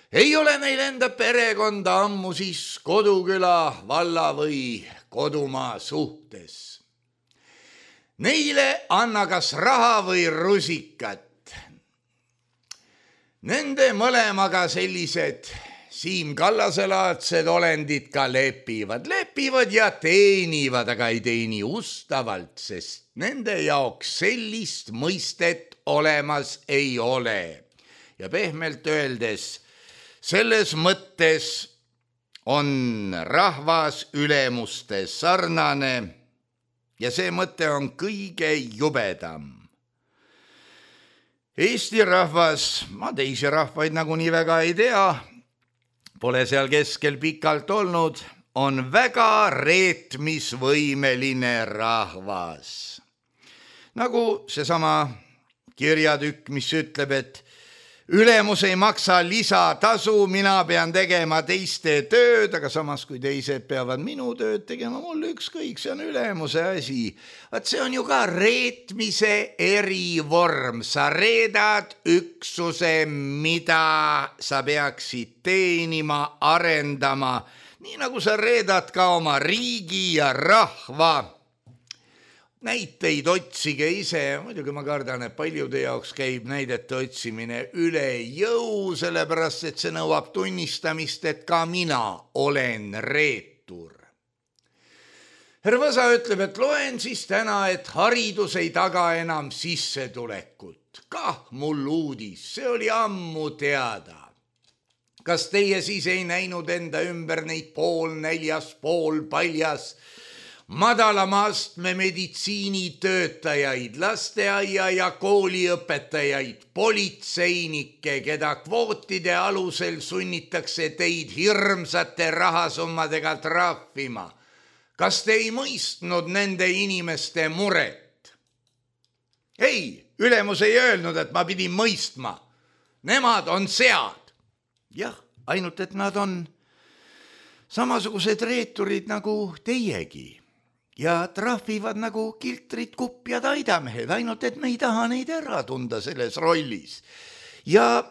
Ei ole neil enda perekonda ammu siis koduküla, valla või kodumaa suhtes. Neile anna kas raha või rusikat. Nende mõlemaga sellised Siim Kallasel-laadsed olendid ka lepivad. Lepivad ja teenivad, aga ei teeni ustavalt, sest nende jaoks sellist mõistet olemas ei ole. Ja pehmelt öeldes, selles mõttes on rahvas ülemuste sarnane, ja see mõte on kõige jubedam. Eesti rahvas, ma teisi rahvaid nagu nii väga ei tea, pole seal keskel pikalt olnud, on väga reetmisvõimeline rahvas. Nagu seesama kirjatükk, mis ütleb, et ülemus ei maksa lisatasu, mina pean tegema teiste tööd, aga samas kui teised peavad minu tööd tegema, mul ükskõik, see on ülemuse asi. Vaat see on ju ka reetmise erivorm. Sa reedad üksuse, mida sa peaksid teenima, arendama, nii nagu sa reedad ka oma riigi ja rahva. Näiteid otsige ise, muidugi ma kardan, et paljude jaoks käib näidete otsimine üle jõu, sellepärast et see nõuab tunnistamist, et ka mina olen reetur. Ervõsa ütleb, et loen siis täna, et haridus ei taga enam sissetulekut. Kah mul uudis, see oli ammu teada. Kas teie siis ei näinud enda ümber neid pool näljas, pool paljas, madalama astme meditsiinitöötajaid, lasteaia ja kooliõpetajaid, politseinikke, keda kvootide alusel sunnitakse teid hirmsate rahasummadega trahvima. Kas te ei mõistnud nende inimeste muret? Ei, ülemus ei öelnud, et ma pidin mõistma. Nemad on sead. Jah, ainult et nad on samasugused reeturid nagu teiegi. ja trahvivad nagu kiltrid kupjad aidamehed, ainult et me ei taha neid ära tunda selles rollis. Ja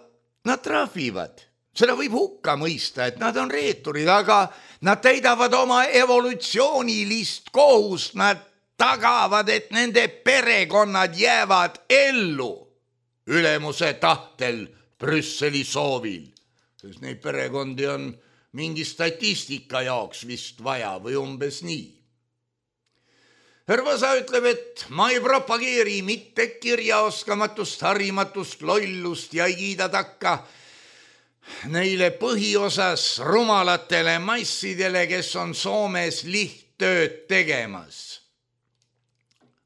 nad trahvivad, seda võib hukka mõista, et nad on reeturid, aga nad täidavad oma evolutsioonilist kohust, nad tagavad, et nende perekonnad jäävad ellu ülemuse tahtel Brüsseli soovil. Sest neid perekondi on mingi statistika jaoks vist vaja või umbes nii. Hervasa ütleb, et ma ei propageeri mitte kirjaoskamatust, harimatust, lollust ja ei kiida takka neile põhiosas rumalatele massidele, kes on Soomes lihttööd tegemas.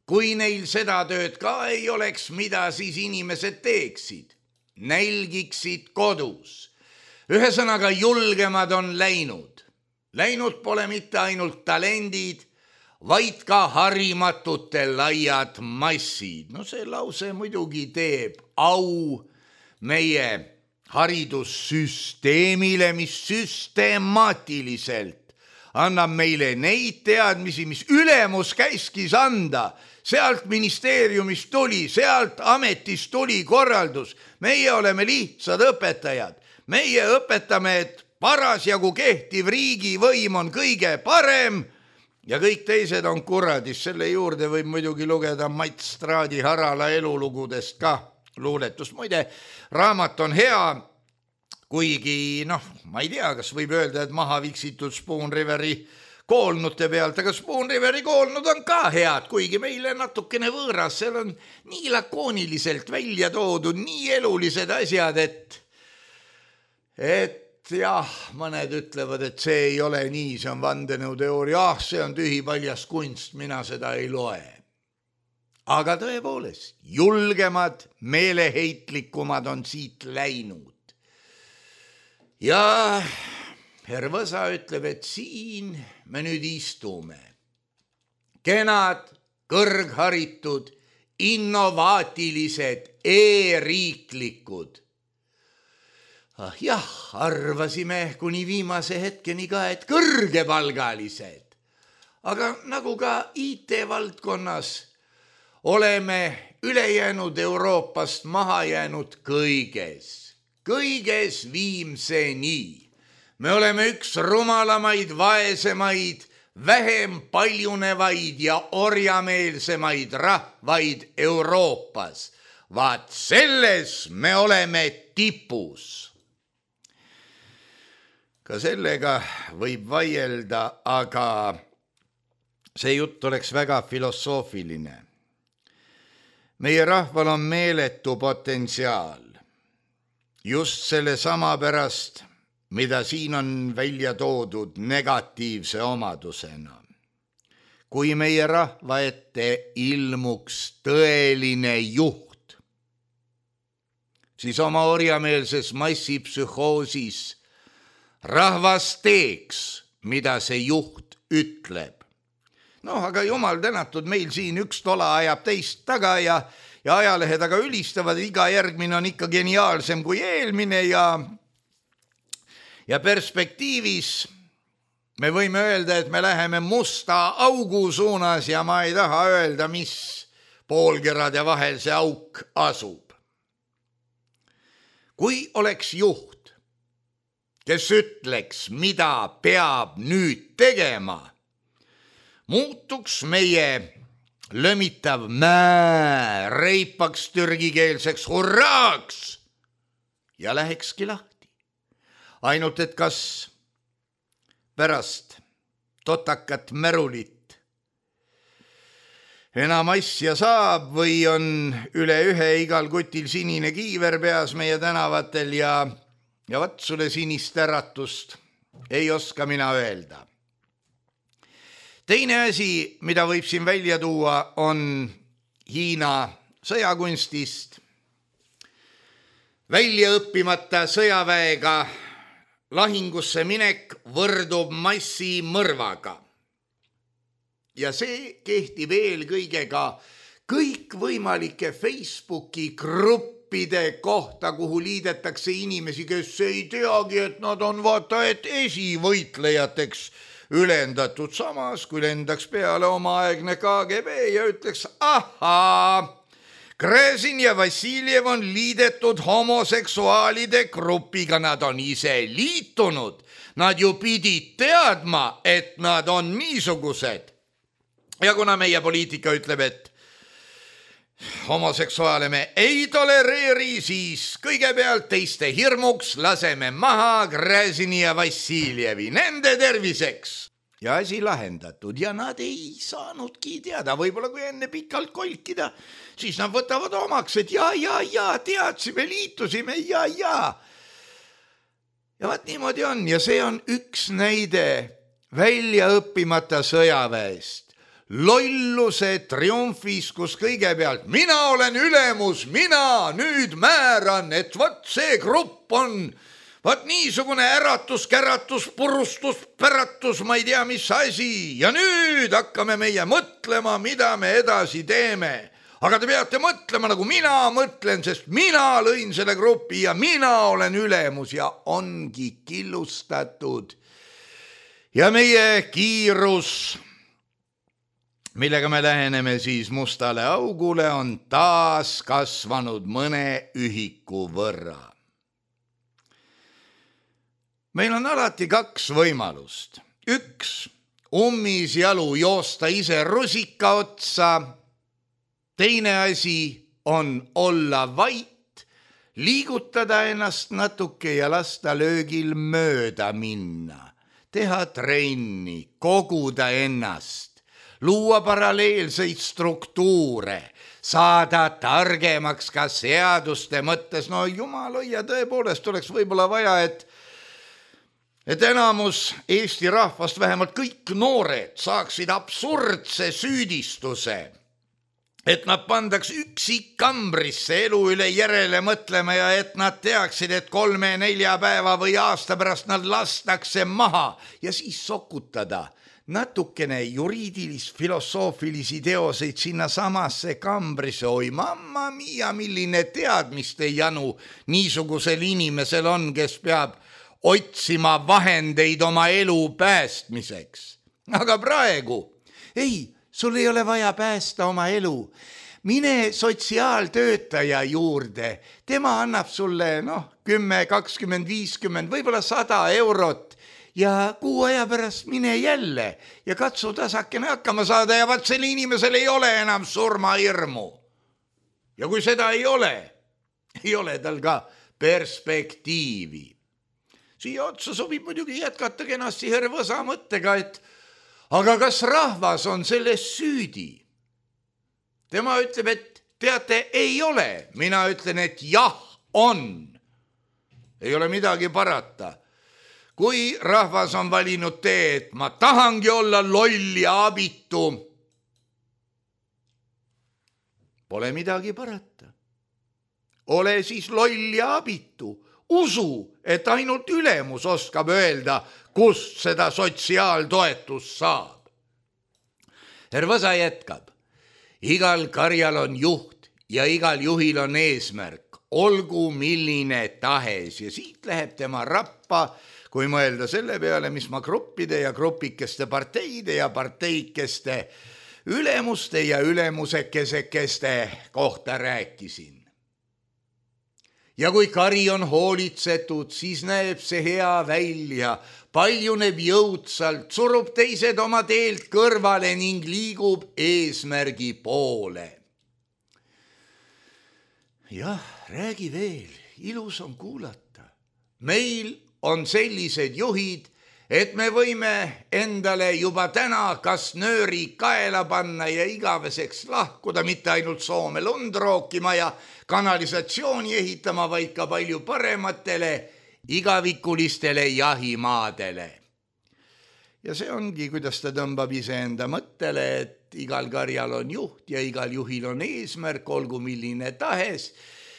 Kui neil seda tööd ka ei oleks, mida siis inimesed teeksid? Nälgiksid kodus. Ühesõnaga julgemad on läinud. Läinud pole mitte ainult talendid, vaid ka harimatute laiad massid. No see lause muidugi teeb au meie haridussüsteemile, mis süstemaatiliselt annab meile neid teadmisi, mis ülemus käskis anda. Sealt ministeeriumist tuli, sealt ametist tuli korraldus. Meie oleme lihtsad õpetajad. Meie õpetame, et parasjagu kehtiv riigivõim on kõige parem ja kõik teised on kuradis. Selle juurde võib muidugi lugeda Mats Straadi Harala elulugudest ka luuletust. Muide, raamat on hea, kuigi, noh, ma ei tea, kas võib öelda, et maha viksitud Spoon Riveri koolnute pealt, aga Spoon Riveri koolnud on ka head, kuigi meile natukene võõras. Seal on nii lakooniliselt välja toodud, nii elulised asjad, et et jah, mõned ütlevad, et see ei ole nii, see on vandenõuteooria, ah, see on tühi paljas kunst, mina seda ei loe. Aga tõepoolest, julgemad, meeleheitlikumad on siit läinud. Ja Hervasa ütleb, et siin me nüüd istume. Kenad, kõrgharitud, innovaatilised, e-riiklikud. Ah, jah, arvasime kuni viimase hetkeni ka, et kõrgepalgalised. Aga nagu ka I T-valdkonnas oleme ülejäänud Euroopast maha jäänud kõiges. Kõiges viimseni. Me oleme üks rumalamaid, vaesemaid, vähem paljunevaid ja orjameelsemaid rahvaid Euroopas. Vaat selles me oleme tipus. Ka sellega võib vaielda, aga see jutt oleks väga filosoofiline. Meie rahval on meeletu potentsiaal. Just selle sama pärast, mida siin on välja toodud negatiivse omadusena. Kui meie rahva ette ilmuks tõeline juht, siis oma orjameelses massipsühhoosis rahvas teeks, mida see juht ütleb. Noh, aga jumal tänatud, meil siin üks tola ajab teist taga ja, ja ajalehed aga ülistavad, iga järgmine on ikka geniaalsem kui eelmine ja, ja perspektiivis me võime öelda, et me läheme musta augu suunas ja ma ei taha öelda, mis poolkerade vahel see auk asub. Kui oleks juht, kes ütleks, mida peab nüüd tegema, muutuks meie lömitav mää reipaks türgikeelseks hurraaks ja lähekski lahti. Ainult, et kas pärast totakat märulit enam asja saab või on üle ühe igal kutil sinine kiiver peas meie tänavatel ja Ja vat sulle sinist äratust ei oska mina öelda. Teine asi, mida võib siin välja tuua, on Hiina sõjakunstist. Välja õppimata sõjaväega lahingusse minek võrdub massimõrvaga. Ja see kehtib eelkõige ka kõikvõimalike Facebooki gruppi kohta, kuhu liidetakse inimesi, kes ei teagi, et nad on vaata, et esivõitlejateks ülendatud samas, kui lendaks peale omaaegne K G B ja ütleks, ahaa, Gräzin ja Vassiljev on liidetud homoseksuaalide grupiga, nad on ise liitunud. Nad ju pidid teadma, et nad on niisugused. Ja kuna meie poliitika ütleb, et homoseksuaale me ei tolereeri, siis kõigepealt teiste hirmuks laseme maha Gräzini ja Vassiljevi nende terviseks. Ja asi lahendatud ja nad ei saanudki teada, võib-olla kui enne pikalt kolkida, siis nad võtavad omaks, et ja, ja, ja, teadsime, liitusime, ja, ja. Ja vaat niimoodi on ja see on üks näide välja õppimata sõjaväest. Lolluse triumfis, kus kõigepealt mina olen ülemus, mina nüüd määran, et vat see grupp on vat niisugune äratus, käratus, purustus, päratus, ma ei tea, mis asi. Ja nüüd hakkame meie mõtlema, mida me edasi teeme. Aga te peate mõtlema, nagu mina mõtlen, sest mina lõin selle grupi ja mina olen ülemus ja ongi killustatud. Ja meie kiirus, millega me läheneme siis mustale augule, on taas kasvanud mõne ühiku võrra. Meil on alati kaks võimalust. Üks, ummis jalu joosta ise rusika otsa. Teine asi on olla vait, liigutada ennast natuke ja lasta löögil mööda minna. Teha trenni, koguda ennast, luua paralleelseid struktuure, saada targemaks ka seaduste mõttes. No jumal hoia, tõepoolest oleks võib-olla vaja, et et enamus Eesti rahvast, vähemalt kõik noored, saaksid absurdse süüdistuse, et nad pandaks üksik kambrisse elu üle järele mõtlema ja et nad teaksid, et kolme-nelja päeva või aasta pärast nad lastakse maha ja siis sokutada natukene juriidilis-filosoofilisi teoseid sinna samasse kambrisse. Oi mamma mia, milline teadmiste janu niisugusel inimesel on, kes peab otsima vahendeid oma elu päästmiseks. Aga praegu, ei, sul ei ole vaja päästa oma elu. Mine sotsiaaltöötaja juurde. Tema annab sulle noh, kümme, kakskümmend, viiskümmend, võib-olla sada eurot ja kuu aja pärast mine jälle ja katsu tasakene hakkama saada ja vaat selle inimesel ei ole enam surmahirmu. Ja kui seda ei ole, ei ole tal ka perspektiivi. Siia otsa sobib muidugi jätkata kenasti Hervõsa mõttega, et aga kas rahvas on selles süüdi? Tema ütleb, et teate, ei ole. Mina ütlen, et jah, on. Ei ole midagi parata. Kui rahvas on valinud tee, et ma tahangi olla loll ja abitu, pole midagi parata. Ole siis loll ja abitu. Usu, et ainult ülemus oskab öelda, kust seda sotsiaaltoetust saab. Hervõsa jätkab. Igal karjal on juht ja igal juhil on eesmärk, olgu milline tahes. Ja siit läheb tema rappa, kui mõelda selle peale, mis ma gruppide ja grupikeste parteide ja parteikeste ülemuste ja ülemusekesekeste kohta rääkisin. Ja kui kari on hoolitsetud, siis näeb see hea välja, paljuneb jõudsalt, surub teised oma teelt kõrvale ning liigub eesmärgi poole. Jah, räägi veel, ilus on kuulata. Meil on sellised juhid, et me võime endale juba täna kas nööri kaela panna ja igaveseks lahkuda, mitte ainult Soome lund rookima ja kanalisatsiooni ehitama, vaid ka palju parematele igavikulistele jahimaadele. Ja see ongi, kuidas ta tõmbab iseenda mõttele, et igal karjal on juht ja igal juhil on eesmärk, olgu milline tahes.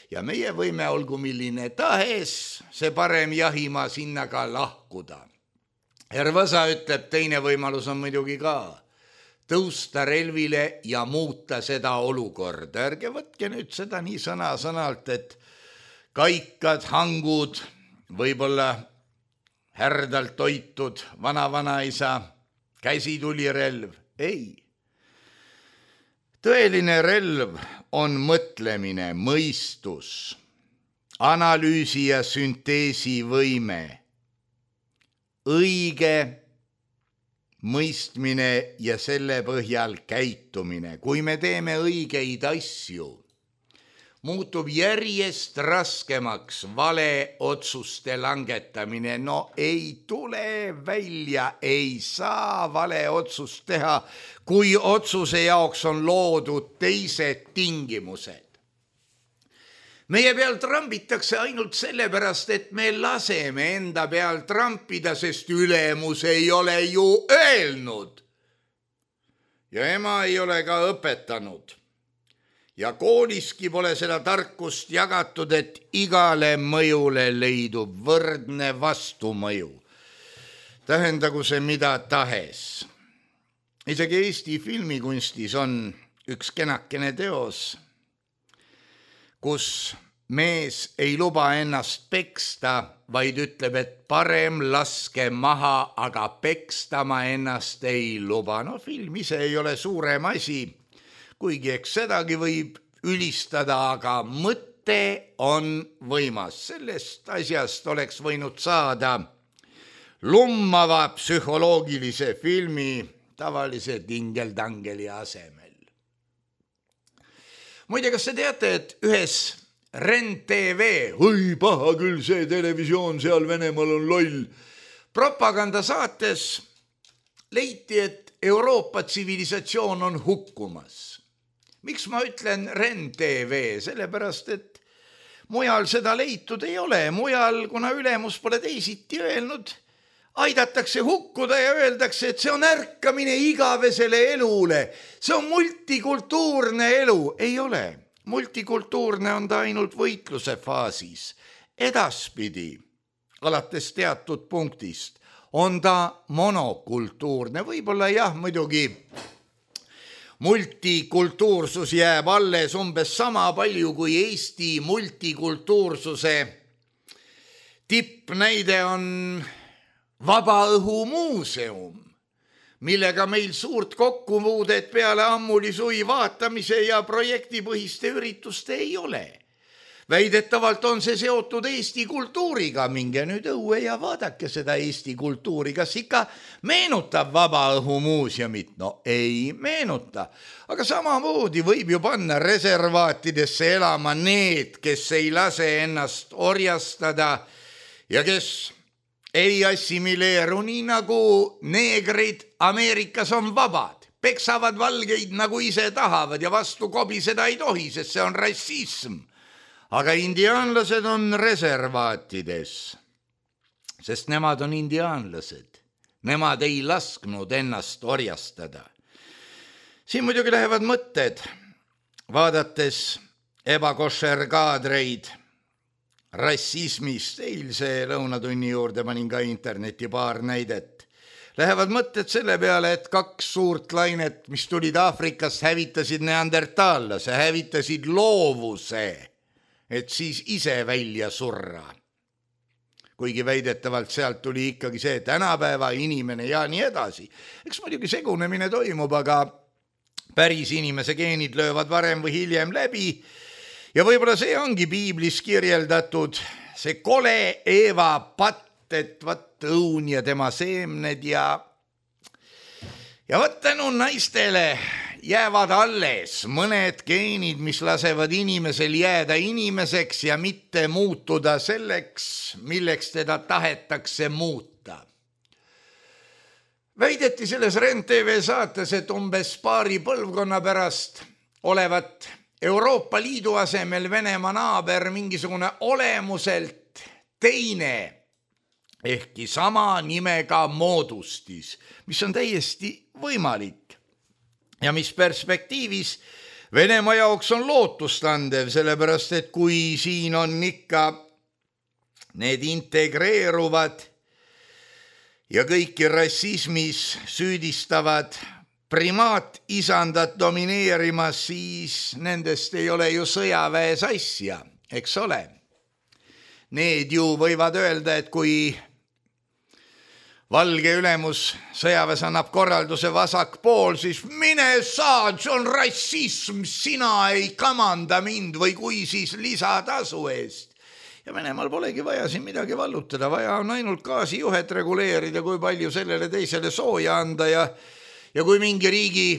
Ja meie võime olgu milline tahes, see parem jahimaa sinna ka lahkuda. Hervõsa ütleb, teine võimalus on muidugi ka tõusta relvile ja muuta seda olukorda. Ärge võtke nüüd seda nii sõna-sõnalt, et kaikad, hangud, võib-olla härdalt toitud vana-vanaisa käsitulirelv, ei. Tõeline relv on mõtlemine, mõistus, analüüsi ja sünteesi võime, õige mõistmine ja selle põhjal käitumine. Kui me teeme õigeid asju, muutub järjest raskemaks vale otsuste langetamine. No ei tule välja, ei saa vale otsust teha, kui otsuse jaoks on loodud teised tingimused. Meie peal trambitakse ainult sellepärast, et me laseme enda peal trampida, sest ülemus ei ole ju öelnud. Ja ema ei ole ka õpetanud. Ja kooliski pole seda tarkust jagatud, et igale mõjule leidub võrdne vastumõju. Tähendagu see mida tahes. Isegi Eesti filmikunstis on üks kenakene teos, kus mees ei luba ennast peksta, vaid ütleb, et parem laske maha, aga peksta ma ennast ei luba. No film ise ei ole suurem asi, kuigi eks sedagi võib ülistada, aga mõte on võimas. Sellest asjast oleks võinud saada lummava psühholoogilise filmi tavalise tingeldangeli asemel. Muide, kas te teate, et ühes Ren T V, oi paha küll see televisioon seal Venemaal on loll, propagandasaates leiti, et Euroopa tsivilisatsioon on hukkumas. Miks ma ütlen Ren T V? Sellepärast, et mujal seda leitud ei ole. Mujal, kuna ülemus pole teisiti öelnud, aidatakse hukkuda ja öeldakse, et see on ärkamine igavesele elule. See on multikultuurne elu. Ei ole. Multikultuurne on ta ainult võitluse faasis. Edaspidi, alates teatud punktist, on ta monokultuurne. Võib-olla jah, muidugi multikultuursus jääb alles umbes sama palju kui Eesti multikultuursuse tippnäide on Vabaõhumuuseum, millega meil suurt kokkupuudet peale ammulisui vaatamise ja projektipõhiste ürituste ei ole. Väidetavalt on see seotud Eesti kultuuriga. Minge nüüd õue ja vaadake seda Eesti kultuuri. Kas ikka meenutab Vabaõhumuuseumit? No ei meenuta. Aga samamoodi võib ju panna reservaatidesse elama need, kes ei lase ennast orjastada ja kes ei assimileeru nii nagu neegrid Ameerikas on vabad. Peksavad valgeid nagu ise tahavad ja vastu kobiseda ei tohi, sest see on rassism. Aga indiaanlased on reservaatides, sest nemad on indiaanlased. Nemad ei lasknud ennast orjastada. Siin muidugi lähevad mõtted, vaadates ebakošer kaadreid rassismist. Eilse lõunatunni juurde panin ka interneti paar näidet. Lähevad mõtted selle peale, et kaks suurt lainet, mis tulid Aafrikast, hävitasid neandertaallase, hävitasid loovuse, et siis ise välja surra. Kuigi väidetavalt sealt tuli ikkagi see tänapäeva inimene ja nii edasi. Eks muidugi segunemine toimub, aga päris inimese geenid löövad varem või hiljem läbi. Ja võib-olla see ongi piiblis kirjeldatud, see kole Eeva patt, et vaat õun ja tema seemned ja ja vaat tänu naistele jäävad alles mõned geenid, mis lasevad inimesel jääda inimeseks ja mitte muutuda selleks, milleks teda tahetakse muuta. Väideti selles Ren T V saates, et umbes paari põlvkonna pärast olevat Euroopa Liidu asemel Venemaa naaber mingisugune olemuselt teine, ehkki sama nimega moodustis, mis on täiesti võimalik ja mis perspektiivis Venemaa jaoks on lootustandev, sellepärast et kui siin on ikka need integreeruvad ja kõiki rassismis süüdistavad primaat isandat domineerimas, siis nendest ei ole ju sõjaväes asja, eks ole. Need ju võivad öelda, et kui valge ülemus sõjaväes annab korralduse vasak pool, siis mine saad, see on rassism, sina ei kamanda mind või kui siis lisatasu eest. Ja Venemaal polegi vaja siin midagi vallutada, vaja on ainult gaasijuhet reguleerida, kui palju sellele teisele sooja anda ja, ja kui mingi riigi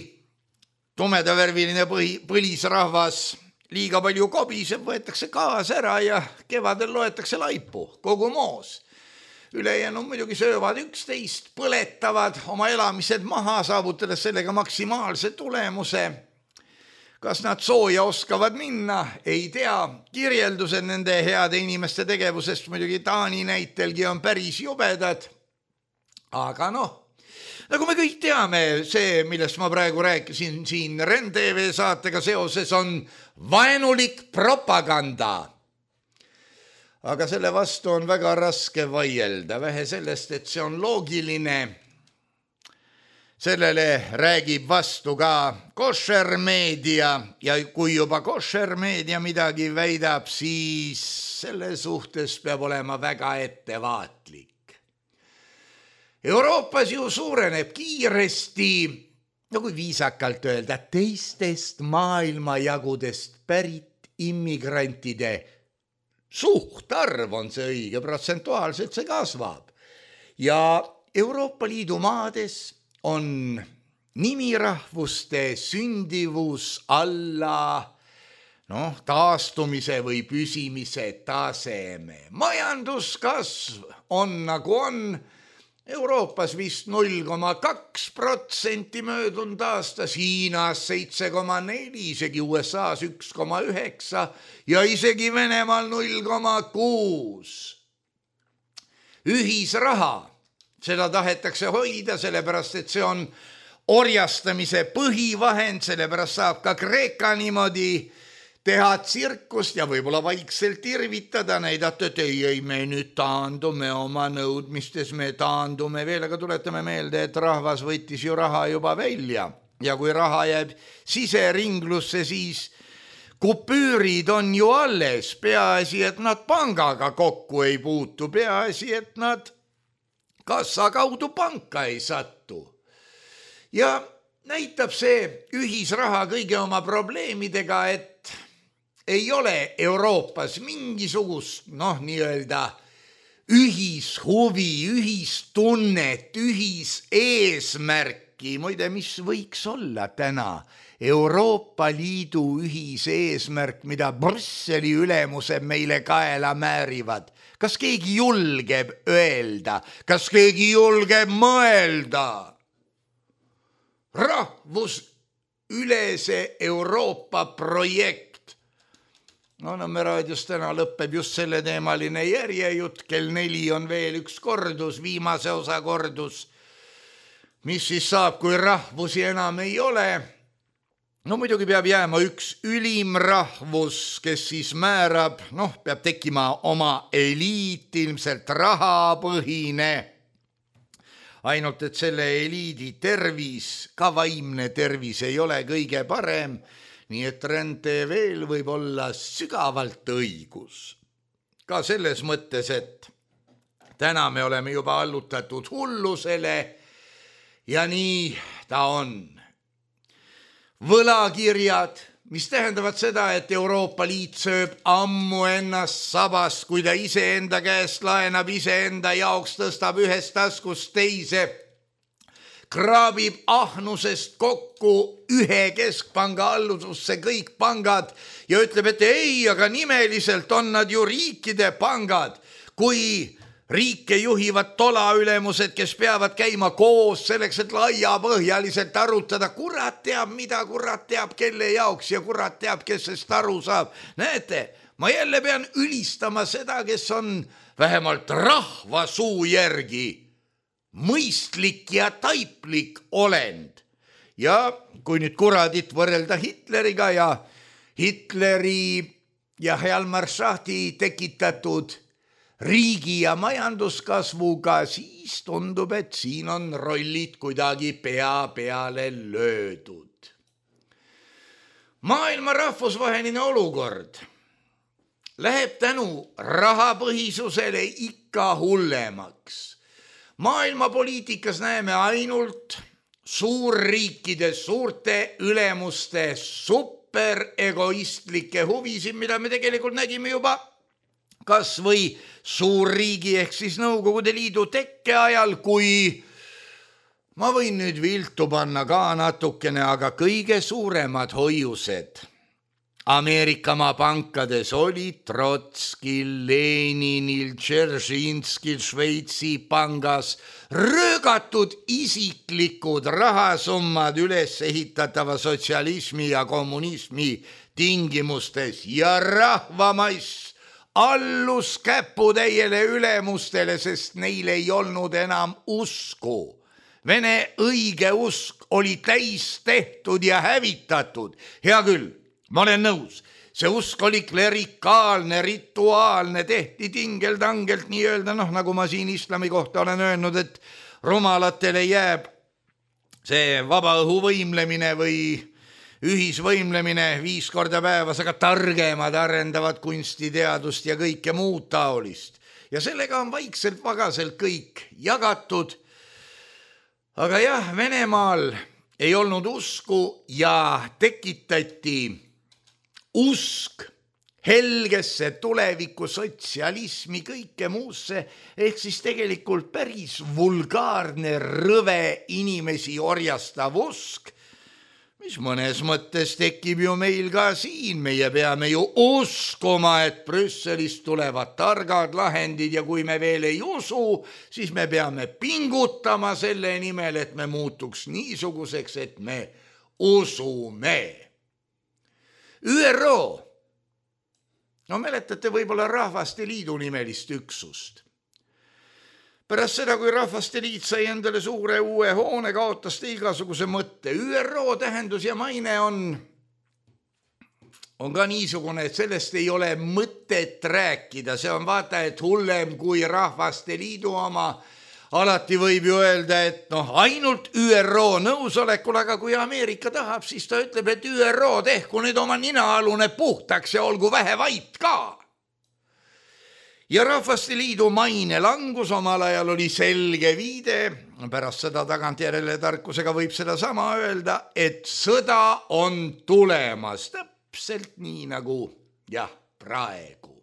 tumedavärviline põhi, põlisrahvas liiga palju kobiseb, võetakse gaas ära ja kevadel loetakse laipu, kogu moos. Ülejäänud muidugi söövad üksteist, põletavad oma elamised maha, saavutades sellega maksimaalse tulemuse. Kas nad sooja oskavad minna, ei tea. Kirjeldused nende heade inimeste tegevusest muidugi Taani näitelgi on päris jubedad. Aga noh, nagu me kõik teame, see, millest ma praegu rääkisin siin Ren T V saatega seoses, on vaenulik propaganda. Aga selle vastu on väga raske vaielda, vähe sellest, et see on loogiline. Sellele räägib vastu ka košermeedia ja kui juba košermeedia midagi väidab, siis selle suhtes peab olema väga ettevaatlik. Euroopas ju suureneb kiiresti, no kui viisakalt öelda, teistest maailmajagudest pärit immigrantide suhtarv on see õige, protsentuaalselt see kasvab. Ja Euroopa Liidu maades on nimirahvuste sündivus alla noh, taastumise või püsimise taseme. Majanduskasv on nagu on Euroopas vist null koma kaks protsenti möödunud aastas, Hiinas seitse koma neli, isegi U S A-s üks koma üheksa ja isegi Venemaal null koma kuus. Ühisraha. Seda tahetakse hoida, sellepärast, et see on orjastamise põhivahend, sellepärast saab ka Kreeka niimoodi teha tsirkust ja võib-olla vaikselt irvitada, näidata, et ei, ei, me nüüd taandume oma nõudmistes, me taandume veel, aga tuletame meelde, et rahvas võttis ju raha juba välja ja kui raha jääb siseringlusse, siis kupüürid on ju alles, peaasi, et nad pangaga kokku ei puutu, peaasi, et nad kassa kaudu panka ei sattu. Ja näitab see ühisraha kõigi oma probleemidega, et ei ole Euroopas mingisugust, noh, nii-öelda ühishuvi, ühistunnet, ühiseesmärki. Muide, mis võiks olla täna Euroopa Liidu ühiseesmärk, mida Brüsseli ülemused meile kaela määrivad? Kas keegi julgeb öelda? Kas keegi julgeb mõelda? Rahvus ülese Euroopa projekt. No, no me raadios täna lõpeb just selle teemaline järjejutt, kell neli on veel üks kordus, viimase osa kordus. Mis siis saab, kui rahvusi enam ei ole? No muidugi peab jääma üks ülim rahvus, kes siis määrab, noh, peab tekkima oma eliit, ilmselt rahapõhine. Ainult, et selle eliidi tervis, ka vaimne tervis ei ole kõige parem, nii et Ren T V-l võib olla sügavalt õigus. Ka selles mõttes, et täna me oleme juba allutatud hullusele ja nii ta on. Võlakirjad, mis tähendavad seda, et Euroopa Liit sööb ammu ennast sabast, kui ta iseenda käest laenab, iseenda jaoks tõstab ühest taskust teise, kraabib ahnusest kokku ühe keskpanga allususse kõik pangad ja ütleb, et ei, aga nimeliselt on nad ju riikide pangad, kui riike juhivad tolaülemused, kes peavad käima koos selleks, et laiapõhjaliselt arutada, kurat teab, mida kurat teab, kelle jaoks ja kurat teab, kes sest aru saab. Näete, ma jälle pean ülistama seda, kes on vähemalt rahva suu järgi mõistlik ja taiplik olend. Ja kui nüüd kuradit võrrelda Hitleriga ja Hitleri ja Hjalmar Schahti tekitatud riigi ja majanduskasvuga, siis tundub, et siin on rollid kuidagi pea peale löödud. Maailma rahvusvaheline olukord läheb tänu rahapõhisusele ikka hullemaks. Maailmapoliitikas näeme ainult suurriikide, suurte ülemuste superegoistlikke huvisid, mida me tegelikult nägime juba kas või suurriigi ehk siis Nõukogude Liidu tekke ajal, kui ma võin nüüd viltu panna ka natukene, aga kõige suuremad hoiused Ameerikamaa pankades olid Trotskil, Leninil, Dzeržinskil, Šveitsi pangas röögatud isiklikud rahasummad üles ehitatava sotsialismi ja kommunismi tingimustes ja rahvamass allus käputäiele ülemustele, sest neil ei olnud enam usku. Vene õige usk oli täis tehtud ja hävitatud. Hea küll, ma olen nõus. See usk oli klerikaalne, rituaalne, tehti tingeldangelt nii öelda, noh, nagu ma siin islami kohta olen öelnud, et rumalatele jääb see vaba õhu võimlemine või ühisvõimlemine viis korda päevas, aga targemad arendavad kunstiteadust ja kõike muud taolist. Ja sellega on vaikselt vagaselt kõik jagatud. Aga jah, Venemaal ei olnud usku ja tekitati usk helgesse tuleviku sotsialismi, kõike muusse, ehk siis tegelikult päris vulgaarne, rõve inimesi orjastav usk, mis mõnes mõttes tekib ju meil ka siin. Meie peame ju uskuma, et Brüsselist tulevad targad lahendid ja kui me veel ei usu, siis me peame pingutama selle nimel, et me muutuks niisuguseks, et me usume. Ü R O, no mäletate võib-olla Rahvaste Liidu nimelist üksust. Pärast seda, kui Rahvaste Liit sai endale suure uue hoone, kaotas ta igasuguse mõtte. Ü R O tähendus ja maine on, on ka niisugune, et sellest ei ole mõtet rääkida. See on vaata, et hullem kui Rahvaste Liidu oma. Alati võib ju öelda, et noh, ainult Ü R O nõusolekul, aga kui Ameerika tahab, siis ta ütleb, et Ü R O tehku nüüd oma ninaalune puhtaks ja olgu vähe vait ka. Ja Rahvaste Liidu maine langus omal ajal oli selge viide, pärast seda tagantjärele tarkusega võib seda sama öelda, et sõda on tulemas täpselt nii nagu jah, praegu.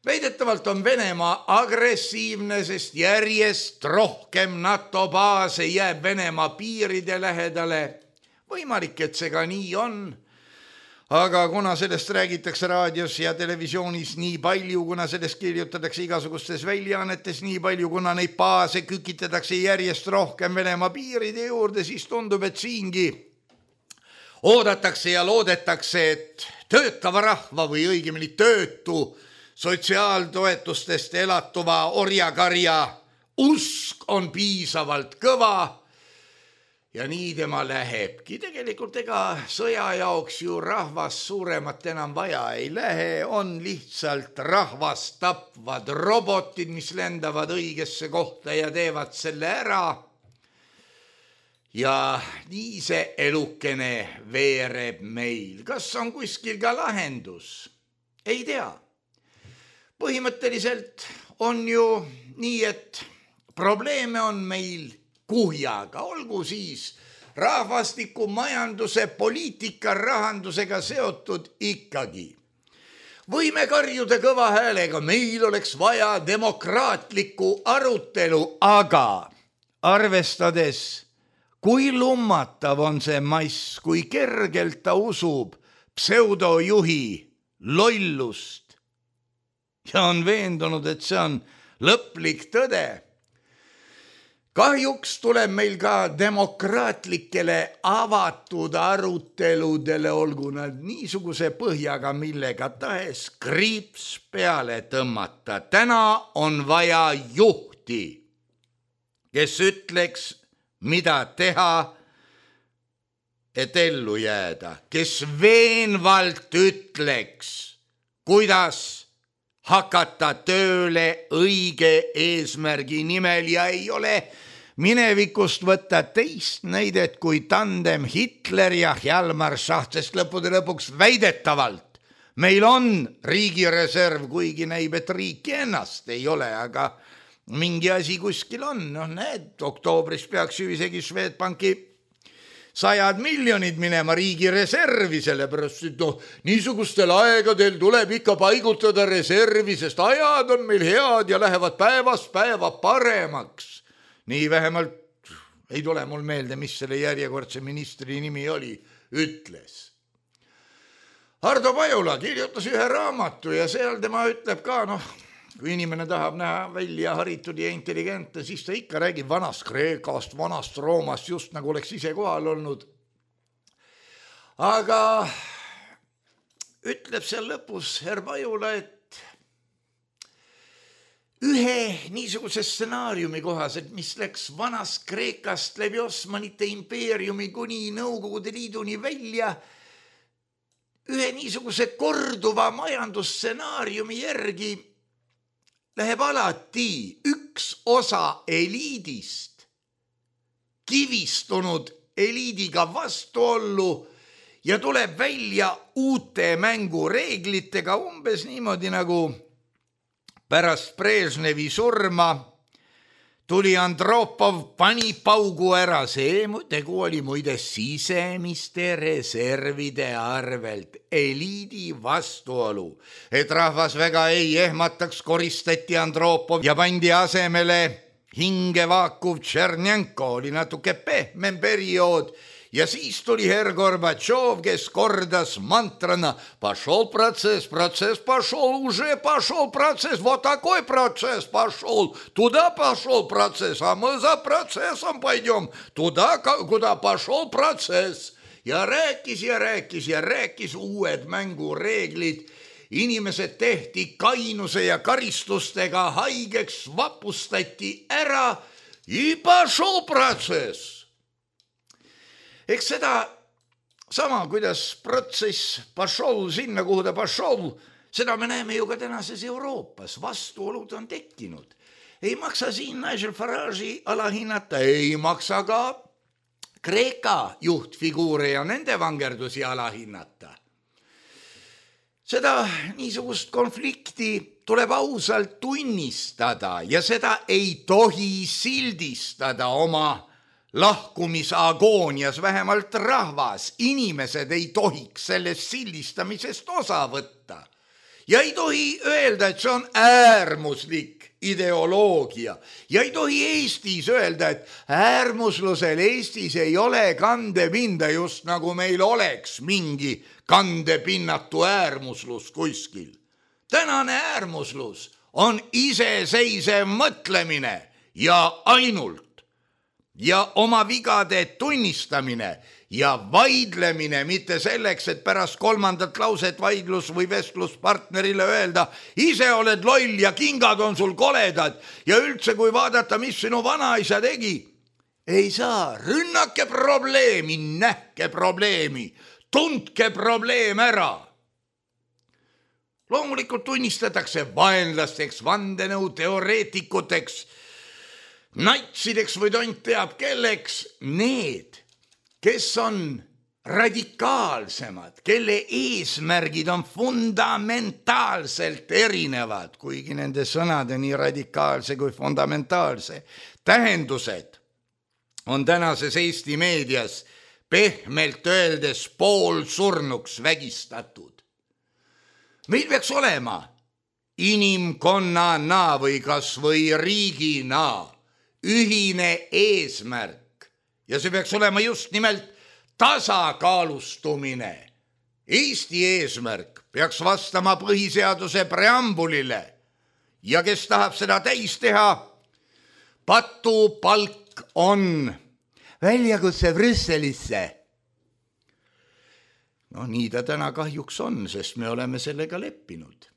Väidetavalt on Venemaa agressiivne, sest järjest rohkem NATO baase jääb Venemaa piiride lähedale. Võimalik, et see ka nii on. Aga kuna sellest räägitakse raadios ja televisioonis nii palju, kuna sellest kirjutatakse igasugustes väljaannetes nii palju, kuna neid baase kükitatakse järjest rohkem Venemaa piiride juurde, siis tundub, et siingi oodatakse ja loodetakse, et töötava rahva või õigemini töötu sotsiaaltoetustest elatuva orjakarja usk on piisavalt kõva. Ja nii tema lähebki. Tegelikult ega sõja jaoks ju rahvas suuremat enam vaja ei lähe, on lihtsalt rahvast tapvad robotid, mis lendavad õigesse kohta ja teevad selle ära. Ja nii see elukene veereb meil. Kas on kuskil ka lahendus? Ei tea. Põhimõtteliselt on ju nii, et probleeme on meil kuhjaga, olgu siis rahvastiku, majanduse, poliitika, rahandusega seotud ikkagi. Võime karjuda kõva häälega, meil oleks vaja demokraatlikku arutelu, aga arvestades, kui lummatav on see mass, kui kergelt ta usub pseudojuhi lollust ja on veendunud, et see on lõplik tõde. Kahjuks tuleb meil ka demokraatlikele avatud aruteludele, olgu nad niisuguse põhjaga, millega tahes kriips peale tõmmata. Täna on vaja juhti, kes ütleks, mida teha, et ellu jääda, kes veenvalt ütleks, kuidas hakata tööle õige eesmärgi nimel ja ei ole minevikust võtta teist näidet kui tandem Hitler ja Hjalmar Schacht, sest lõppude lõpuks väidetavalt meil on riigireserv, kuigi näib, et riiki ennast ei ole, aga mingi asi kuskil on, noh näed, oktoobris peaks ju isegi Swedbanki sajad miljonid minema riigi reservi, sellepärast, et noh, niisugustel aegadel tuleb ikka paigutada reservi, sest ajad on meil head ja lähevad päevast päeva paremaks. Nii vähemalt ei tule mul meelde, mis selle järjekordse ministri nimi oli, ütles. Hardo Pajula kirjutas ühe raamatu ja seal tema ütleb ka, noh, kui inimene tahab näha välja haritud ja intelligentne, siis ta ikka räägib vanast Kreekast, vanast Roomast, just nagu oleks ise kohal olnud. Aga ütleb seal lõpus Herr Pajula, et ühe niisuguse stsenaariumi kohaselt, mis läks vanast Kreekast läbi Osmanite impeeriumi kuni Nõukogude Liiduni välja, ühe niisuguse korduva majandusstsenaariumi järgi läheb alati üks osa eliidist kivistunud eliidiga vastuollu ja tuleb välja uute mängureeglitega umbes niimoodi nagu pärast Brežnevi surma tuli Andropov, pani paugu ära, see tegu oli muide sisemiste reservide arvelt, eliidi vastuolu. Et rahvas väga ei ehmataks, koristati Andropov ja pandi asemele hinge vaakuv Tšernjenko, oli natuke pehmem periood. Ja siis tuli Herr Gorbatšov, kes kordas mantrana пошел процесс, процесс пошел, уже пошел процесс, вот такой процесс пошел, туда пошел процесс, а мы за процессом пойдем, туда, куда пошел процесс. Ja rääkis ja rääkis ja rääkis uued mängureeglid. Inimesed tehti kainuse ja karistustega haigeks, vapustati ära ja пошел процесс. Eks seda sama, kuidas protsess pašol sinna, kuhu ta pašol, seda me näeme ju ka tänases Euroopas. Vastuolud on tekkinud. Ei maksa siin Nigel Farage'i alahinnata, ei maksa ka Kreeka juhtfiguure ja nende vangerdusi alahinnata. Seda niisugust konflikti tuleb ausalt tunnistada ja seda ei tohi sildistada oma lahkumisagoonias, vähemalt rahvas, inimesed ei tohiks sellest sildistamisest osa võtta. Ja ei tohi öelda, et see on äärmuslik ideoloogia. Ja ei tohi Eestis öelda, et äärmuslusel Eestis ei ole kandepinda, just nagu meil oleks mingi kandepinnatu äärmuslus kuskil. Tänane äärmuslus on iseseisev mõtlemine ja ainult. Ja oma vigade tunnistamine ja vaidlemine, mitte selleks, et pärast kolmandat lauset vaidlus või vestluspartnerile öelda, ise oled loll ja kingad on sul koledad ja üldse kui vaadata, mis sinu vanaisa tegi, ei saa, rünnake probleemi, nähke probleemi, tundke probleem ära. Loomulikult tunnistatakse vaenlasteks, vandenõu teoreetikuteks, natsideks või tont teab kelleks need, kes on radikaalsemad, kelle eesmärgid on fundamentaalselt erinevad, kuigi nende sõnade nii radikaalse kui fundamentaalse tähendused on tänases Eesti meedias pehmelt öeldes poolsurnuks vägistatud. Meil peaks olema inimkonnana või kas või riigina ühine eesmärk ja see peaks olema just nimelt tasakaalustumine. Eesti eesmärk peaks vastama põhiseaduse preambulile ja kes tahab seda täis teha, patupalk on väljakutse Brüsselisse. No nii ta täna kahjuks on, sest me oleme sellega leppinud.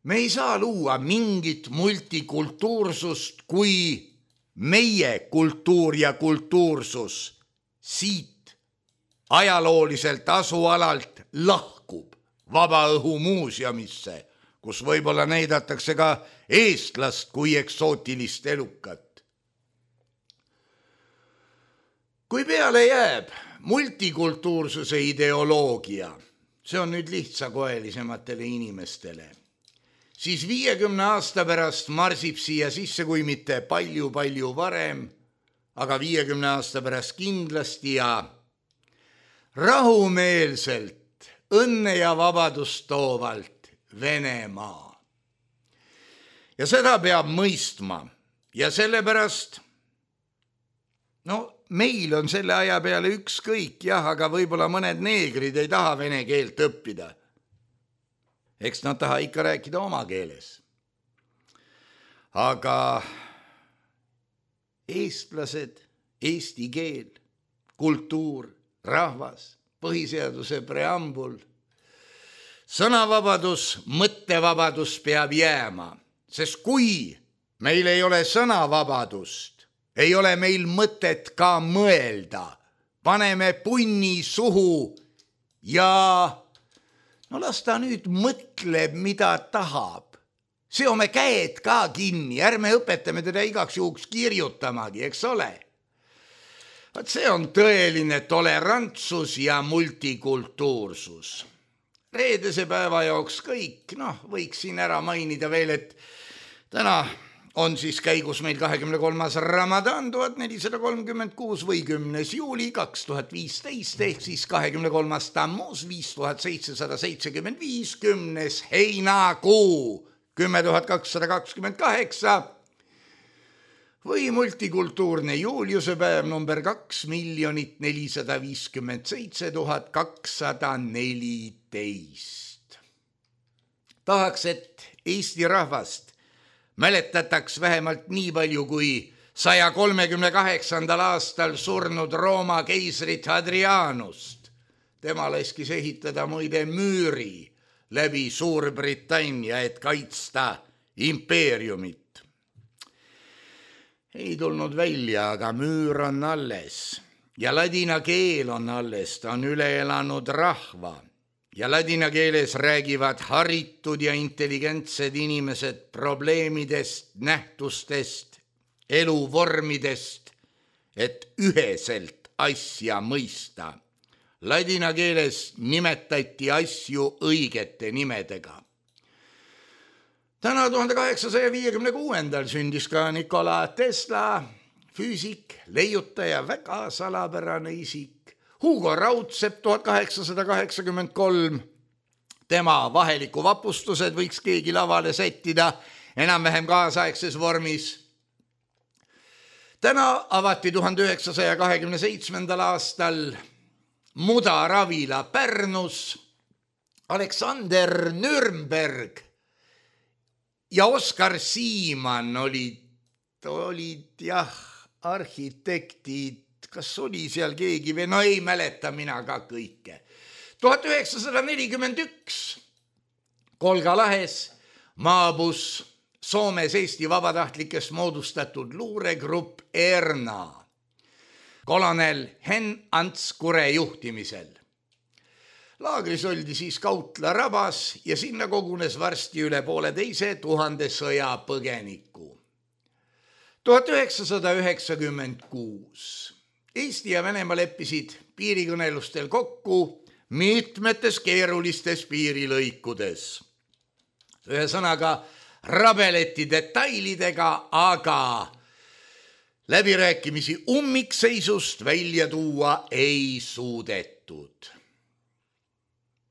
Me ei saa luua mingit multikultuursust, kui meie kultuur ja kultuursus siit ajalooliselt asualalt lahkub Vabaõhumuuseumisse, kus võib-olla näidatakse ka eestlast kui eksootilist elukat. Kui peale jääb multikultuursuse ideoloogia, see on nüüd lihtsakoelisematele inimestele, siis viiekümne aasta pärast marsib siia sisse, kui mitte palju-palju varem, aga viiekümne aasta pärast kindlasti ja rahumeelselt, õnne ja vabadust toovalt Venemaa. Ja seda peab mõistma ja sellepärast, no meil on selle aja peale ükskõik, jah, aga võib-olla mõned neegrid ei taha vene keelt õppida. Eks nad taha ikka rääkida oma keeles. Aga eestlased, eesti keel, kultuur, rahvas, põhiseaduse preambul, sõnavabadus, mõttevabadus peab jääma, sest kui meil ei ole sõnavabadust, ei ole meil mõtet ka mõelda, paneme punni suhu ja no las ta nüüd mõtleb, mida tahab. Seome käed ka kinni, ärme õpetame teda igaks juhuks kirjutamagi, eks ole. Vaat see on tõeline tolerantsus ja multikultuursus. Reedese päeva jooks kõik, noh, võiks siin ära mainida veel, et täna on siis käigus meil kahekümne kolmas Ramadan tuhat nelisada kolmkümmend kuus või kümnes juuli kaks tuhat viisteist ehk siis kahekümne kolmas Tammuz viis tuhat seitsesada seitsekümmend viis, kümnes heinakuu kümme tuhat kakssada kakskümmend kaheksa või multikultuurne Juliuse päev number kaks miljonit nelisada viiskümmend seitse tuhat kakssada neliteist. Tahaks, et Eesti rahvast mäletataks vähemalt nii palju kui saja kolmekümne kaheksandal aastal surnud Rooma keisrit Hadrianust. Tema laskis ehitada muide müüri läbi Suurbritannia, et kaitsta impeeriumit. Ei tulnud välja, aga müür on alles ja ladina keel on alles, ta on üle elanud rahva. Ja ladina keeles räägivad haritud ja intelligentsed inimesed probleemidest, nähtustest, eluvormidest, et üheselt asja mõista. Ladina keeles nimetati asju õigete nimedega. Täna tuhande kaheksasaja viiekümne kuuendal sündis ka Nikola Tesla, füüsik, leiutaja, väga salapärane isik. Hugo Raudsepp tuhat kaheksasada kaheksakümmend kolm, tema vaheliku vapustused võiks keegi lavale sättida enam-vähem kaasaegses vormis. Täna avati tuhande üheksasaja kahekümne seitsmendal aastal Mudaravila Pärnus, Aleksander Nürnberg ja Oskar Siimann olid, olid jah, arhitektid, kas oli seal keegi või, no ei mäleta mina ka kõike. tuhat üheksasada nelikümmend üks Kolga lahes maabus Soomes Eesti vabatahtlikest moodustatud luuregrupp Erna kolonel Henn Ants Kure juhtimisel. Laagris oldi siis Kautla rabas ja sinna kogunes varsti üle poole teise tuhande sõjapõgeniku. tuhat üheksasada üheksakümmend kuus Eesti ja Venemaa leppisid piirikõnelustel kokku mitmetes keerulistes piirilõikudes. Ühesõnaga rabeleti detailidega, aga läbirääkimisi ummikseisust välja tuua ei suudetud.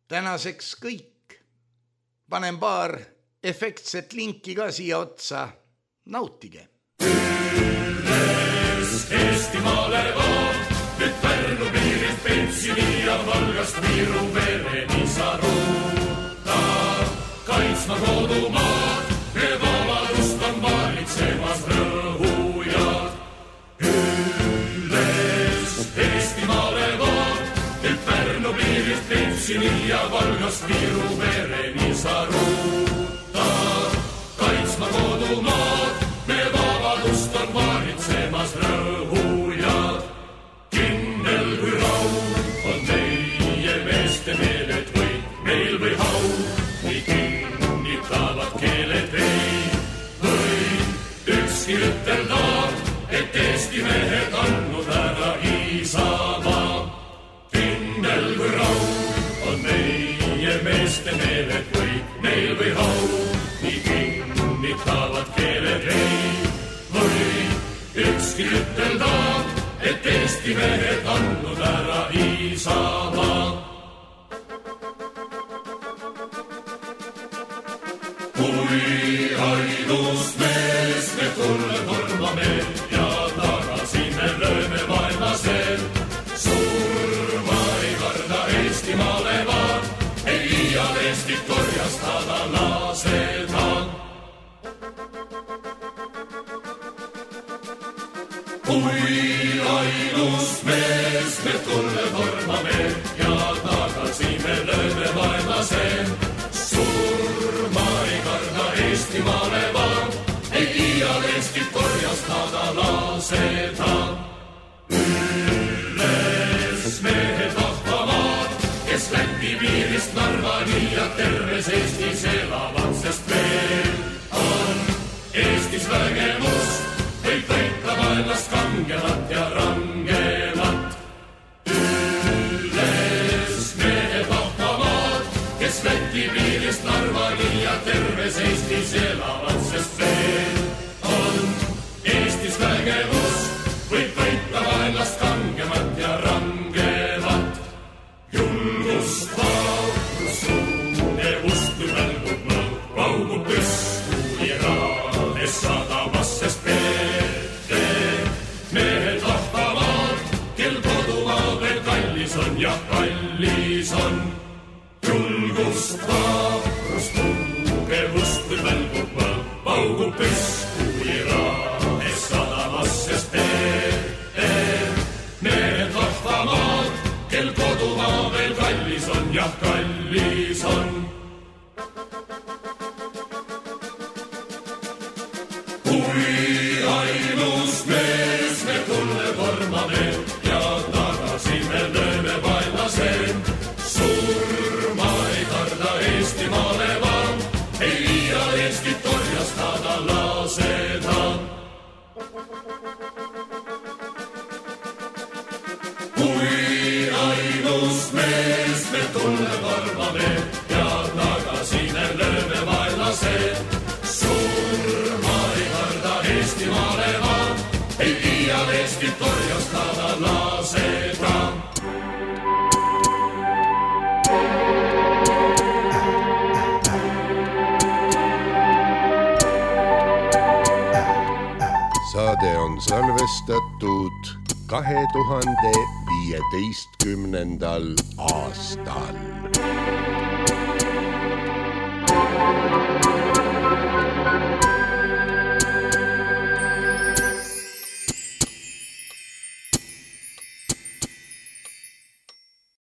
Tänaseks kõik. Panen paar efektset linki ka siia otsa. Nautige. Eestimaale vaan, nyt Pärnu piirist pensioni ja Valgast Viru vereni sa ruuttaa. Kaitsma kodumaad, me vabadust on valitsemas rõhujad. Üles Eestimaale vaan, nyt Pärnu piirist pensioni ja Valgast Viru vereni sa ruuttaa. Kaitsma kodumaad, me vabadust on valitsemas rõhujad. Kindel kui raud on meie meeste meeled või meil või hau, nii kinnitavad keeled ei või ükski ütelda, et Eesti mehed andnud ära Isamaa. Kindel kui raud on meie meeste meeled või meil või hau, nii ütlevad keeled ei või ükski ütelda, et Eesti mehed andnud ära Isamaa. Kui ainus mees me tulle tormame ja tagasi me lööme vaenlasel, surma ei karda Eestimaale vaan, ei iial Eestit korjastada laseda. Kui ainus mees me tulle tormame ja tagasi me lööme vaenlasel, surma ei karda Eestimaale vaan, ei iial Eestit korjastada laseda. Üles mehed vahvamaad, kes Läti piirist Narvani ja terves Eestis elavad, sest veel on Eestis vägevust, võib võita vaenlast kangemat ja rangemat. Üles mehed vahvamaad, kes Läti piirist Narvani ja terves Eestis elavad, sest veel on Eestis vägevust, võib võita vaenlast kangemat ja rangemat. Julgust, vaurust, tunnevust, kui välgub mõõt, paugub püsku Iraanes sadamas, sest peete mehed vahvamaad, kel kodumaa veel kallis on ja kallis on. Julgust, vaurust, tugevust, kui välgub mõõt, paugub püsku Iraanes sadamas, sest peete mehed vahvamaad, kel kodumaa veel kallis on ja kallis on. Kui ainus mees me tulle tormame ja tagasi me lööme vaenlasel, surma ei karda Eestimaale vaan, ei iial Eestit korjastada laseda. Kui ainus mees me tulle tormame ja tagasi me lööme vaenlasel, surma ei karda Eestimaale vaan, ei iial Eestit korjastada laseda. Saade on salvestatud kahe tuhande viieteistkümnendal aastal.